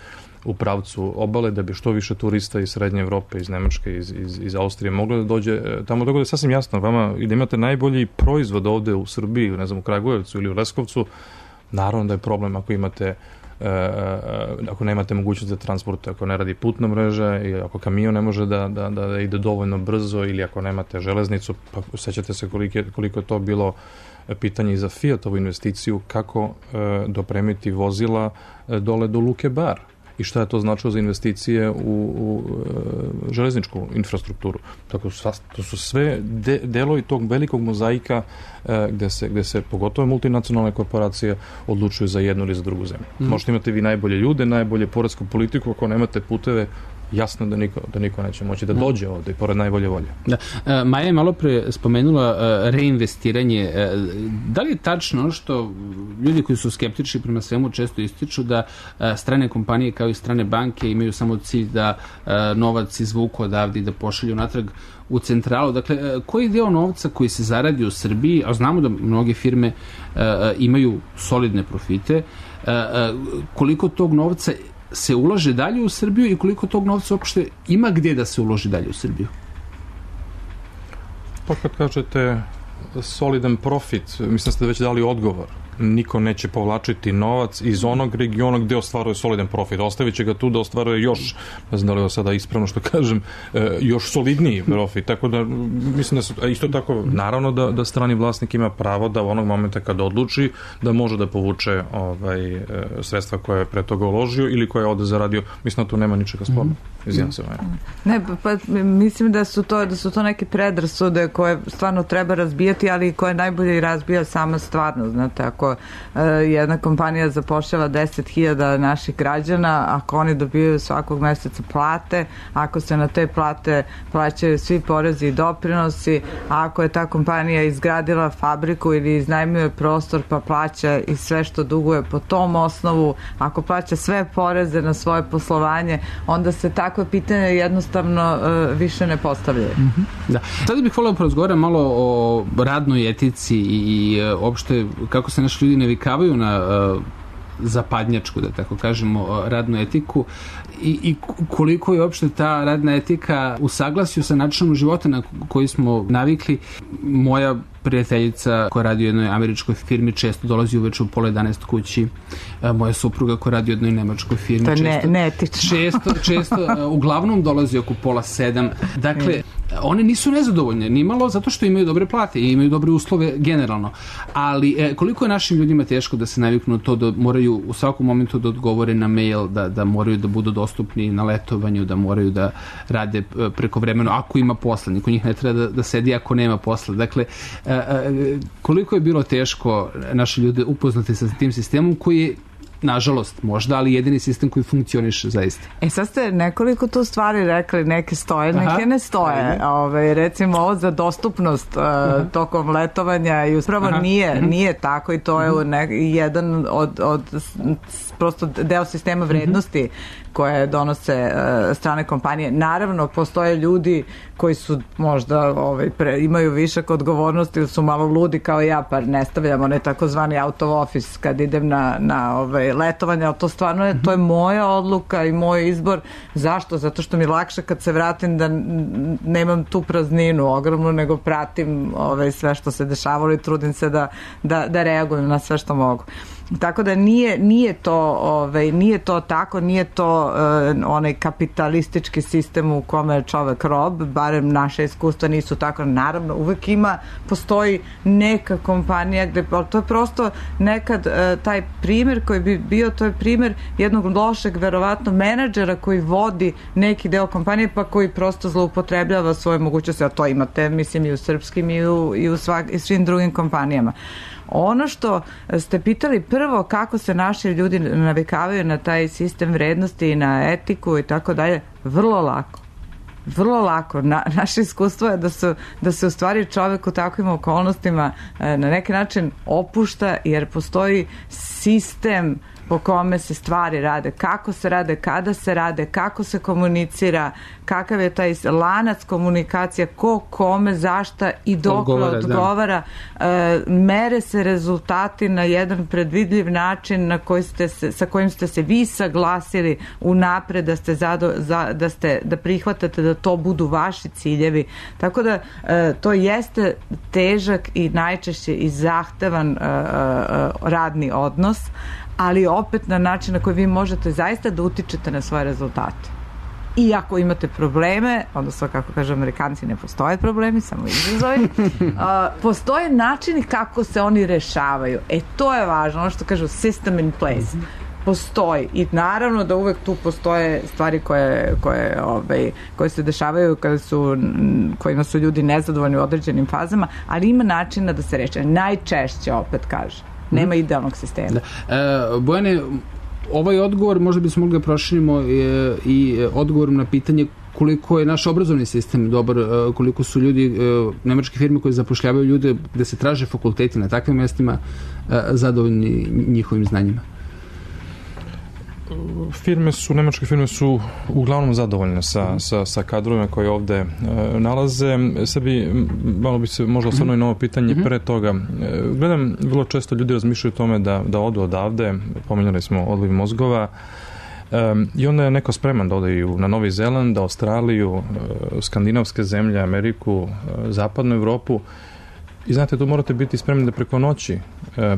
u pravcu obale, da bi što više turista iz Srednje Evrope, iz Nemačke, iz, iz, iz Austrije moglo da dođe tamo. Tako da je sasvim jasno vama, i da imate najbolji proizvod ovde u Srbiji, ne znam, u Kragujevcu ili u Leskovcu, naravno da je problem ako imate E, ako nemate mogućnost za transport, ako ne radi putna mreža i ako kamion ne može da, da, da ide dovoljno brzo, ili ako nemate železnicu, pa sećate se koliko je, koliko je to bilo pitanje i za Fiatovu investiciju, kako e, dopremiti vozila e, dole do Luke Bar i šta je to značilo za investicije u, u e, železničku infrastrukturu. Tako su, to su sve de, delovi tog velikog mozaika e, gde, se, gde se pogotovo multinacionalne korporacije odlučuju za jednu ili za drugu zemlju. Mm. Možete imati vi najbolje ljude, najbolje poresku politiku, ako nemate puteve, jasno da niko, da niko neće moći da dođe ovde, pored najbolje volje. Da. E, Maja je malo pre spomenula e, reinvestiranje. E, da li je tačno što ljudi koji su skeptični prema svemu često ističu da e, strane kompanije kao i strane banke imaju samo cilj da e, novac izvuku odavde i da pošalju natrag u centralu? Dakle, e, koji deo novca koji se zaradi u Srbiji, a znamo da mnoge firme e, imaju solidne profite, e, e, koliko tog novca se ulaže dalje u Srbiju i koliko tog novca uopšte ima gdje da se uloži dalje u Srbiju? Pa kad kažete solidan profit, mislim da ste već dali odgovor. Niko neće povlačiti novac iz onog regiona gde ostvaruje solidan profit. Ostavit će ga tu da ostvaruje još, ne znam da li je sada ispravno što kažem, još solidniji profit. Tako da, mislim da su, isto tako, naravno da, da strani vlasnik ima pravo da u onog momenta kada odluči da može da povuče ovaj, sredstva koje je pre toga uložio ili koje je ovde zaradio. Mislim da tu nema ničega sporno. Izvijem se. Ne, pa mislim da su to, da su to neke predrasude koje stvarno treba razbijati, ali koje najbolje razbija sama stvarno. Znate, ako jedna kompanija zapošljava deset hiljada naših građana, ako oni dobijaju svakog meseca plate, ako se na te plate plaćaju svi porezi i doprinosi, a ako je ta kompanija izgradila fabriku ili iznajmljuje prostor pa plaća i sve što duguje po tom osnovu, ako plaća sve poreze na svoje poslovanje, onda se takve pitanje jednostavno uh, više ne postavljaju. Mm-hmm. Da. Sada bih volio porazgovarati malo o radnoj etici i, i opšte kako se naši ljudi navikavaju na uh, zapadnjačku, da tako kažemo, radnu etiku i, i koliko je uopšte ta radna etika u saglasju sa načinom života na koji smo navikli. Moja prijateljica koja radi u jednoj američkoj firmi često dolazi uveče u pola jedanaest kući. Moja supruga koja radi u jednoj nemačkoj firmi to je često, ne, neetično. često, često uglavnom dolazi oko pola sedam. Dakle, one nisu nezadovoljne, nimalo, zato što imaju dobre plate i imaju dobre uslove generalno. Ali e, koliko je našim ljudima teško da se naviknu to da moraju u svakom momentu da odgovore na mail, da, da moraju da budu dostupni na letovanju, da moraju da rade preko vremena, ako ima posla, niko njih ne treba da, da sedi ako nema posla. Dakle, e, e, koliko je bilo teško naše ljude upoznati sa tim sistemom koji je, nažalost, možda, ali jedini sistem koji funkcioniše zaista. E sad ste nekoliko tu stvari rekli, neke stoje, neke Aha. ne stoje. Ove, recimo ovo za dostupnost uh, tokom letovanja i uspravo nije, uh-huh. nije tako i to je uh-huh. ne, jedan od, od prosto deo sistema vrednosti uh-huh. koje donose uh, strane kompanije. Naravno, postoje ljudi koji su možda ovaj, pre, imaju višak odgovornosti ili su malo ludi kao ja, pa ne stavljamo onaj takozvani out of office kad idem na, na ovaj, letovanje, ali to stvarno je, to je moja odluka i moj izbor. Zašto? Zato što mi je lakše kad se vratim da nemam tu prazninu ogromnu, nego pratim ovaj, sve što se dešavalo i trudim se da, da, da reagujem na sve što mogu. Tako da nije, nije to ovaj, nije to tako, nije to uh, onaj kapitalistički sistem u kome je čovek rob, barem naše iskustva nisu tako. Naravno, uvek ima, postoji neka kompanija gde, to je prosto nekad uh, taj primer koji bi bio, to je primer jednog lošeg verovatno menadžera koji vodi neki deo kompanije pa koji prosto zloupotrebljava svoje mogućnosti, a to imate mislim i u srpskim i u, i u, svak, i svim drugim kompanijama. Ono što ste pitali prvo, kako se naši ljudi navikavaju na taj sistem vrednosti i na etiku i tako dalje, vrlo lako. Vrlo lako. Na, naše iskustvo je da, su, da se u stvari čovek u takvim okolnostima na neki način opušta jer postoji sistem po kome se stvari rade, kako se rade, kada se rade, kako se komunicira, kakav je taj lanac komunikacija, ko kome, zašta i dokle odgovara, odgovara. E, mere se rezultati na jedan predvidljiv način na koji ste se, sa kojim ste se vi saglasili unapred da ste, zado, za, da ste da prihvatate da to budu vaši ciljevi. Tako da e, to jeste težak i najčešće i zahtevan e, e, radni odnos, ali opet na način na koji vi možete zaista da utičete na svoje rezultate. I ako imate probleme, odnosno kako kažu Amerikanci, ne postoje problemi, samo izazovi, uh, postoje načini kako se oni rešavaju. E, to je važno, ono što kažu system in place. Postoji. I naravno da uvek tu postoje stvari koje, koje, ovaj, koje se dešavaju kada su, kojima su ljudi nezadovoljni u određenim fazama, ali ima načina da se reše. Najčešće, opet kaže. Nema idealnog sistema. Da. E, Bojane, ovaj odgovor možda bismo mogli da proširimo e, i odgovorom na pitanje koliko je naš obrazovni sistem dobar, e, koliko su ljudi, e, nemačke firme koje zapošljavaju ljude gde se traže fakulteti na takvim mestima e, zadovoljni njihovim znanjima. Firme su, nemačke firme su uglavnom zadovoljne sa, sa, sa kadrovima koje ovde e, nalaze. Sebi, malo bi se možda osvrnuo i na ovo pitanje mm-hmm. pre toga. E, gledam, vrlo često ljudi razmišljaju o tome da, da odu odavde, pominjali smo odliv mozgova, e, i onda je neko spreman da ode na Novi Zeland, Australiju, e, skandinavske zemlje, Ameriku, e, zapadnu Evropu. I znate, tu morate biti spremni da preko noći e,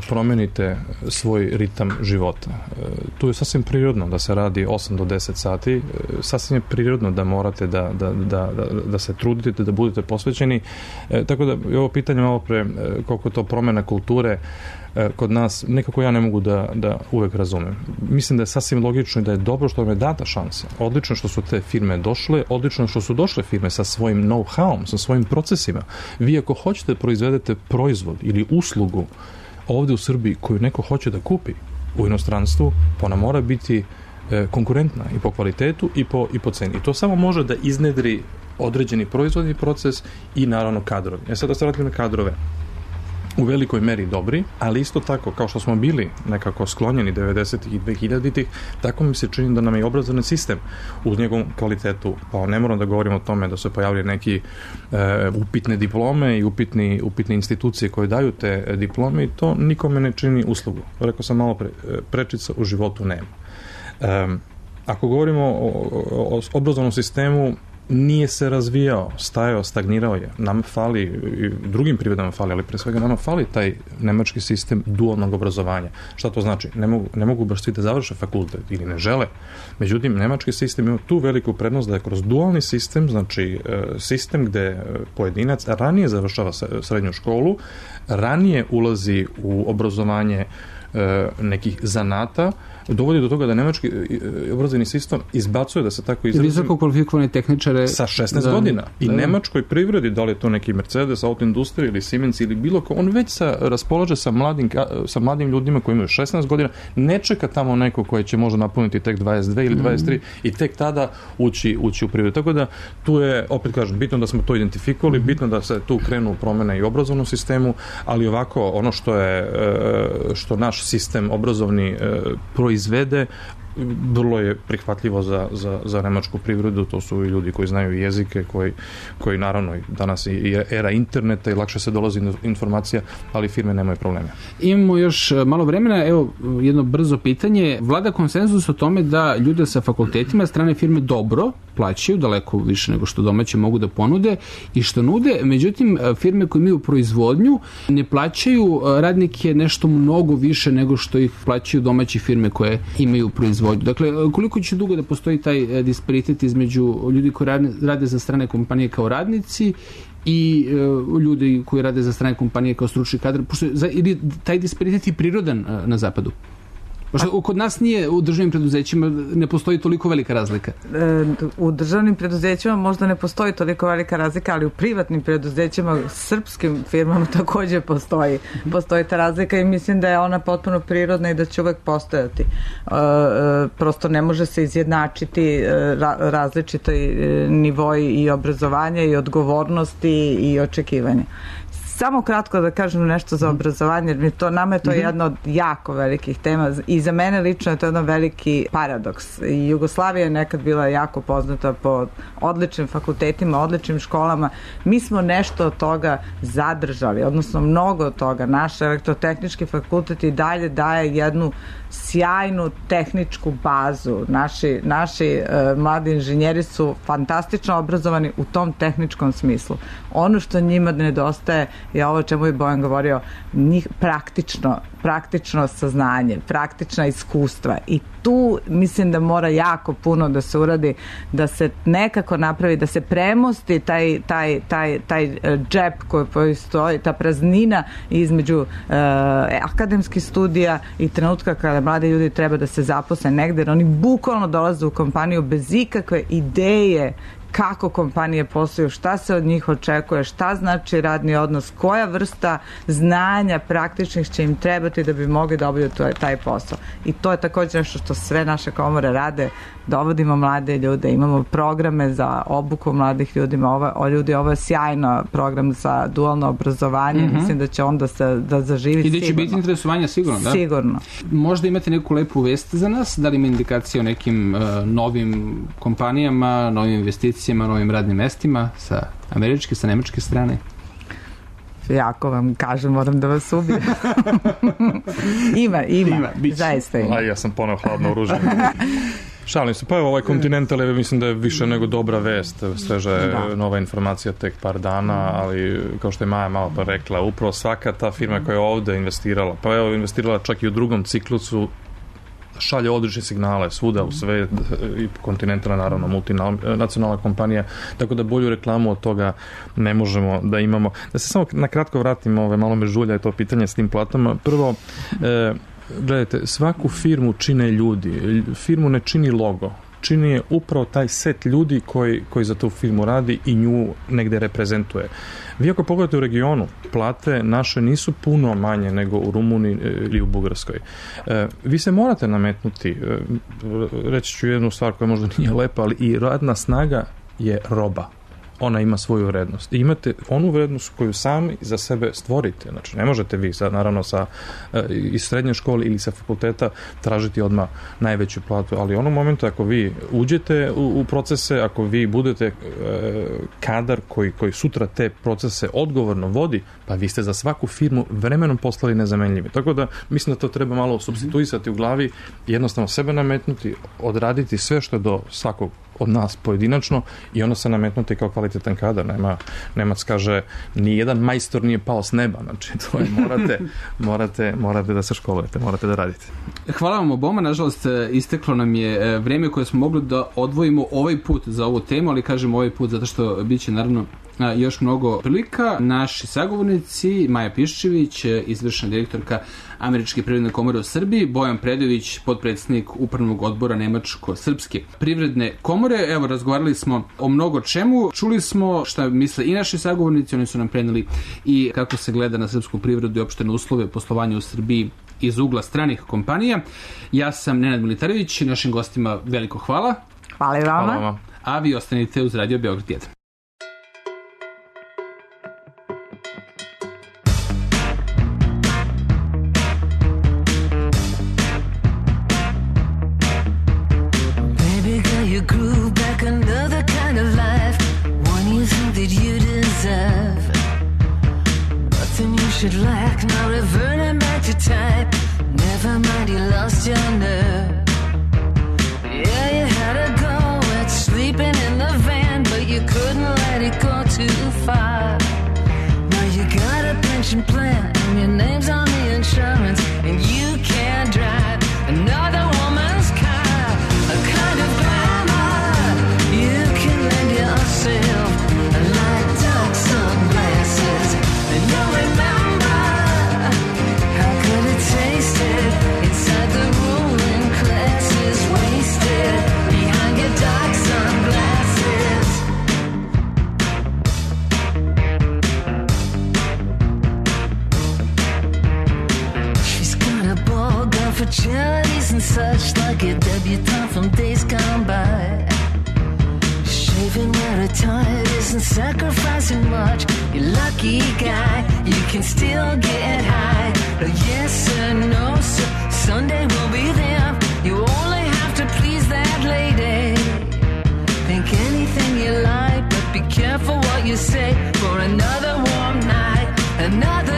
promenite svoj ritam života. E, tu je sasvim prirodno da se radi osam do deset sati, e, sasvim je prirodno da morate da, da, da, da, da se trudite, da budete posvećeni. E, tako da je ovo pitanje malo pre e, koliko to promena kulture e, kod nas, nekako ja ne mogu da, da uvek razumem. Mislim da je sasvim logično i da je dobro što vam je data šansa. Odlično što su te firme došle, odlično što su došle firme sa svojim know-howom, sa svojim procesima. Vi ako hoćete da proizvedete proizvod ili uslugu ovde u Srbiji koju neko hoće da kupi u inostranstvu, pa ona mora biti e, konkurentna i po kvalitetu i po, i po ceni. I to samo može da iznedri određeni proizvodni proces i naravno kadrovi. E sad da se vratim na kadrove. U velikoj meri dobri, ali isto tako, kao što smo bili nekako sklonjeni devedesetih i dvehiljaditih, tako mi se čini da nam je obrazovni sistem uz njegovom kvalitetu, pa ne moram da govorim o tome da su pojavili neki e, upitne diplome i upitni, upitne institucije koje daju te diplome i to nikome ne čini uslugu. Rekao sam malo pre, prečica u životu nema. E, ako govorimo o, o, o obrazovnom sistemu, nije se razvijao, stajao, stagnirao je. Nam fali, i drugim privredama fali, ali pre svega nama fali taj nemački sistem dualnog obrazovanja. Šta to znači? Ne mogu, ne mogu baš svi da završe fakultet ili ne žele. Međutim, nemački sistem ima tu veliku prednost da je kroz dualni sistem, znači sistem gde pojedinac ranije završava srednju školu, ranije ulazi u obrazovanje nekih zanata, dovodi do toga da nemački obrazovni sistem izbacuje, da se tako izrazim, visoko kvalifikovane tehničare sa šesnaest da, godina. I da, nemačkoj privredi, da li je to neki Mercedes, autoindustrija ili Siemens ili bilo ko, on već sa, raspolaže sa mladim, sa mladim ljudima koji imaju šesnaest godina, ne čeka tamo neko koji će možda napuniti tek dvadeset dve ili dvadeset tri mm. i tek tada ući, ući u privredu. Tako da tu je, opet kažem, bitno da smo to identifikovali, mm. bitno da se tu krenu promene i u obrazovnom sistemu, ali ovako ono što je što naš sistem obrazovni proizvede, vrlo je prihvatljivo za, za, za nemačku privredu, to su i ljudi koji znaju jezike, koji, koji naravno danas i era interneta i lakše se dolazi do informacija, ali firme nemaju probleme. Imamo još malo vremena, evo jedno brzo pitanje. Vlada konsenzus o tome da ljude sa fakultetima strane firme dobro plaćaju, daleko više nego što domaće mogu da ponude i što nude, međutim firme koje imaju proizvodnju ne plaćaju radnike nešto mnogo više nego što ih plaćaju domaće firme koje imaju proizvodnju. Dakle, koliko će dugo da postoji taj disparitet između ljudi koji rade za strane kompanije kao radnici i uh, ljudi koji rade za strane kompanije kao stručni kadar, pošto ili taj disparitet je prirodan uh, na zapadu? Pošto kod nas nije u državnim preduzećima ne postoji toliko velika razlika. U državnim preduzećima možda ne postoji toliko velika razlika, ali u privatnim preduzećima, srpskim firmama takođe postoji. Postoji ta razlika i mislim da je ona potpuno prirodna i da će uvek postojati. Prosto ne može se izjednačiti različiti nivoji i obrazovanja i odgovornosti i očekivanja. Samo kratko da kažem nešto za obrazovanje, jer mi to, nama je to mm-hmm. jedna od jako velikih tema i za mene lično je to jedan veliki paradoks. I Jugoslavija je nekad bila jako poznata po odličnim fakultetima, odličnim školama. Mi smo nešto od toga zadržali, odnosno mnogo od toga. Naš elektrotehnički fakultet i dalje daje jednu sjajnu tehničku bazu. Naši, naši uh, mladi inženjeri su fantastično obrazovani u tom tehničkom smislu. Ono što njima nedostaje je ovo o čemu je Bojan govorio, njih praktično, praktično saznanje, praktična iskustva i tu mislim da mora jako puno da se uradi, da se nekako napravi, da se premosti taj, taj, taj, taj džep koji postoji, ta praznina između uh, akademskih studija i trenutka kada mladi ljudi treba da se zaposle negde, jer oni bukvalno dolaze u kompaniju bez ikakve ideje kako kompanije posluju, šta se od njih očekuje, šta znači radni odnos, koja vrsta znanja praktičnih će im trebati da bi mogli da obavljaju taj posao. I to je također nešto što sve naše komore rade, dovodimo mlade ljude, imamo programe za obuku mladih ljudima, ovo, o ljudi, ovo je sjajno program za dualno obrazovanje, mm-hmm. mislim da će onda se da zaživi sigurno. I da će biti interesovanja sigurno, da? Sigurno. Možda imate neku lepu vest za nas, da li ima indikacije o nekim uh, novim kompanijama, novim investicijama, novim radnim mestima sa američke, sa nemačke strane? Jako vam kažem, moram da vas ubijem. ima, ima, ima zaista ima. A ja sam poneo hladno oružje. Šalim se, pa evo ovaj Continental je, mislim da je više nego dobra vest, sveža je da. Nova informacija tek par dana, ali kao što je Maja malo pa rekla, upravo svaka ta firma koja je ovde investirala, pa evo investirala čak i u drugom ciklusu, šalje odlične signale svuda u sve, i Continental naravno multinacionalna kompanija, tako da bolju reklamu od toga ne možemo da imamo. Da se samo na kratko vratimo, ove, malo me žulja je to pitanje s tim platama. Prvo, e, gledajte, svaku firmu čine ljudi, firmu ne čini logo, čini je upravo taj set ljudi koji, koji za tu firmu radi i nju negde reprezentuje. Vi ako pogledate u regionu, plate naše nisu puno manje nego u Rumuniji ili u Bugarskoj. E, vi se morate nametnuti, e, reći ću jednu stvar koja možda nije lepa, ali i radna snaga je roba. Ona ima svoju vrednost. I imate onu vrednost koju sami za sebe stvorite. Znači, ne možete vi, sad, naravno, sa, e, iz srednje škole ili sa fakulteta tražiti odmah najveću platu, ali u onom momentu ako vi uđete u, u procese, ako vi budete e, kadar koji, koji sutra te procese odgovorno vodi, pa vi ste za svaku firmu vremenom postali nezamenljivi. Tako da, mislim da to treba malo supstituisati u glavi, jednostavno sebe nametnuti, odraditi sve što je do svakog od nas pojedinačno i ono se nametnuti kao kvalitetan kadar. Nema, Nemac kaže, ni jedan majstor nije pao s neba. Znači, to je, morate, morate, morate da se školujete, morate da radite. Hvala vam oboma, nažalost, isteklo nam je vreme koje smo mogli da odvojimo ovaj put za ovu temu, ali kažem ovaj put zato što bit će naravno još mnogo prilika. Naši sagovornici, Maja Piščević, izvršna direktorka Američke privredne komore u Srbiji, Bojan Predović, potpredsjednik upravnog odbora Nemačko-srpske privredne komore. Evo, razgovarali smo o mnogo čemu. Čuli smo šta misle i naši sagovornici, oni su nam preneli i kako se gleda na srpsku privredu i opštene uslove poslovanja u Srbiji iz ugla stranih kompanija. Ja sam Nenad Militarević, našim gostima veliko hvala. Hvala i vama. Hvala vam. A vi ostanite uz Radio Beograd jedan. Should lack, now reverting back to type. Never mind, you lost your nerve. Yeah, you had to go, it's sleeping in the van, but you couldn't let it go too far. Now you got a pension plan, and your name's on the insurance, and you can't drive another woman's car. A kind of glamour you can lend yourself, like dark sunglasses, and you'll remember inside the ruling classes, wasted behind your dark sunglasses. She's got a ball gown for charities and such, like a debutante from days gone by. Shaving where her tired is wasn't sacrificing much. You're lucky guy, you can still get high. No yes sir, no sir, Sunday will be there. You only have to please that lady. Think anything you like, but be careful what you say. For another warm night, another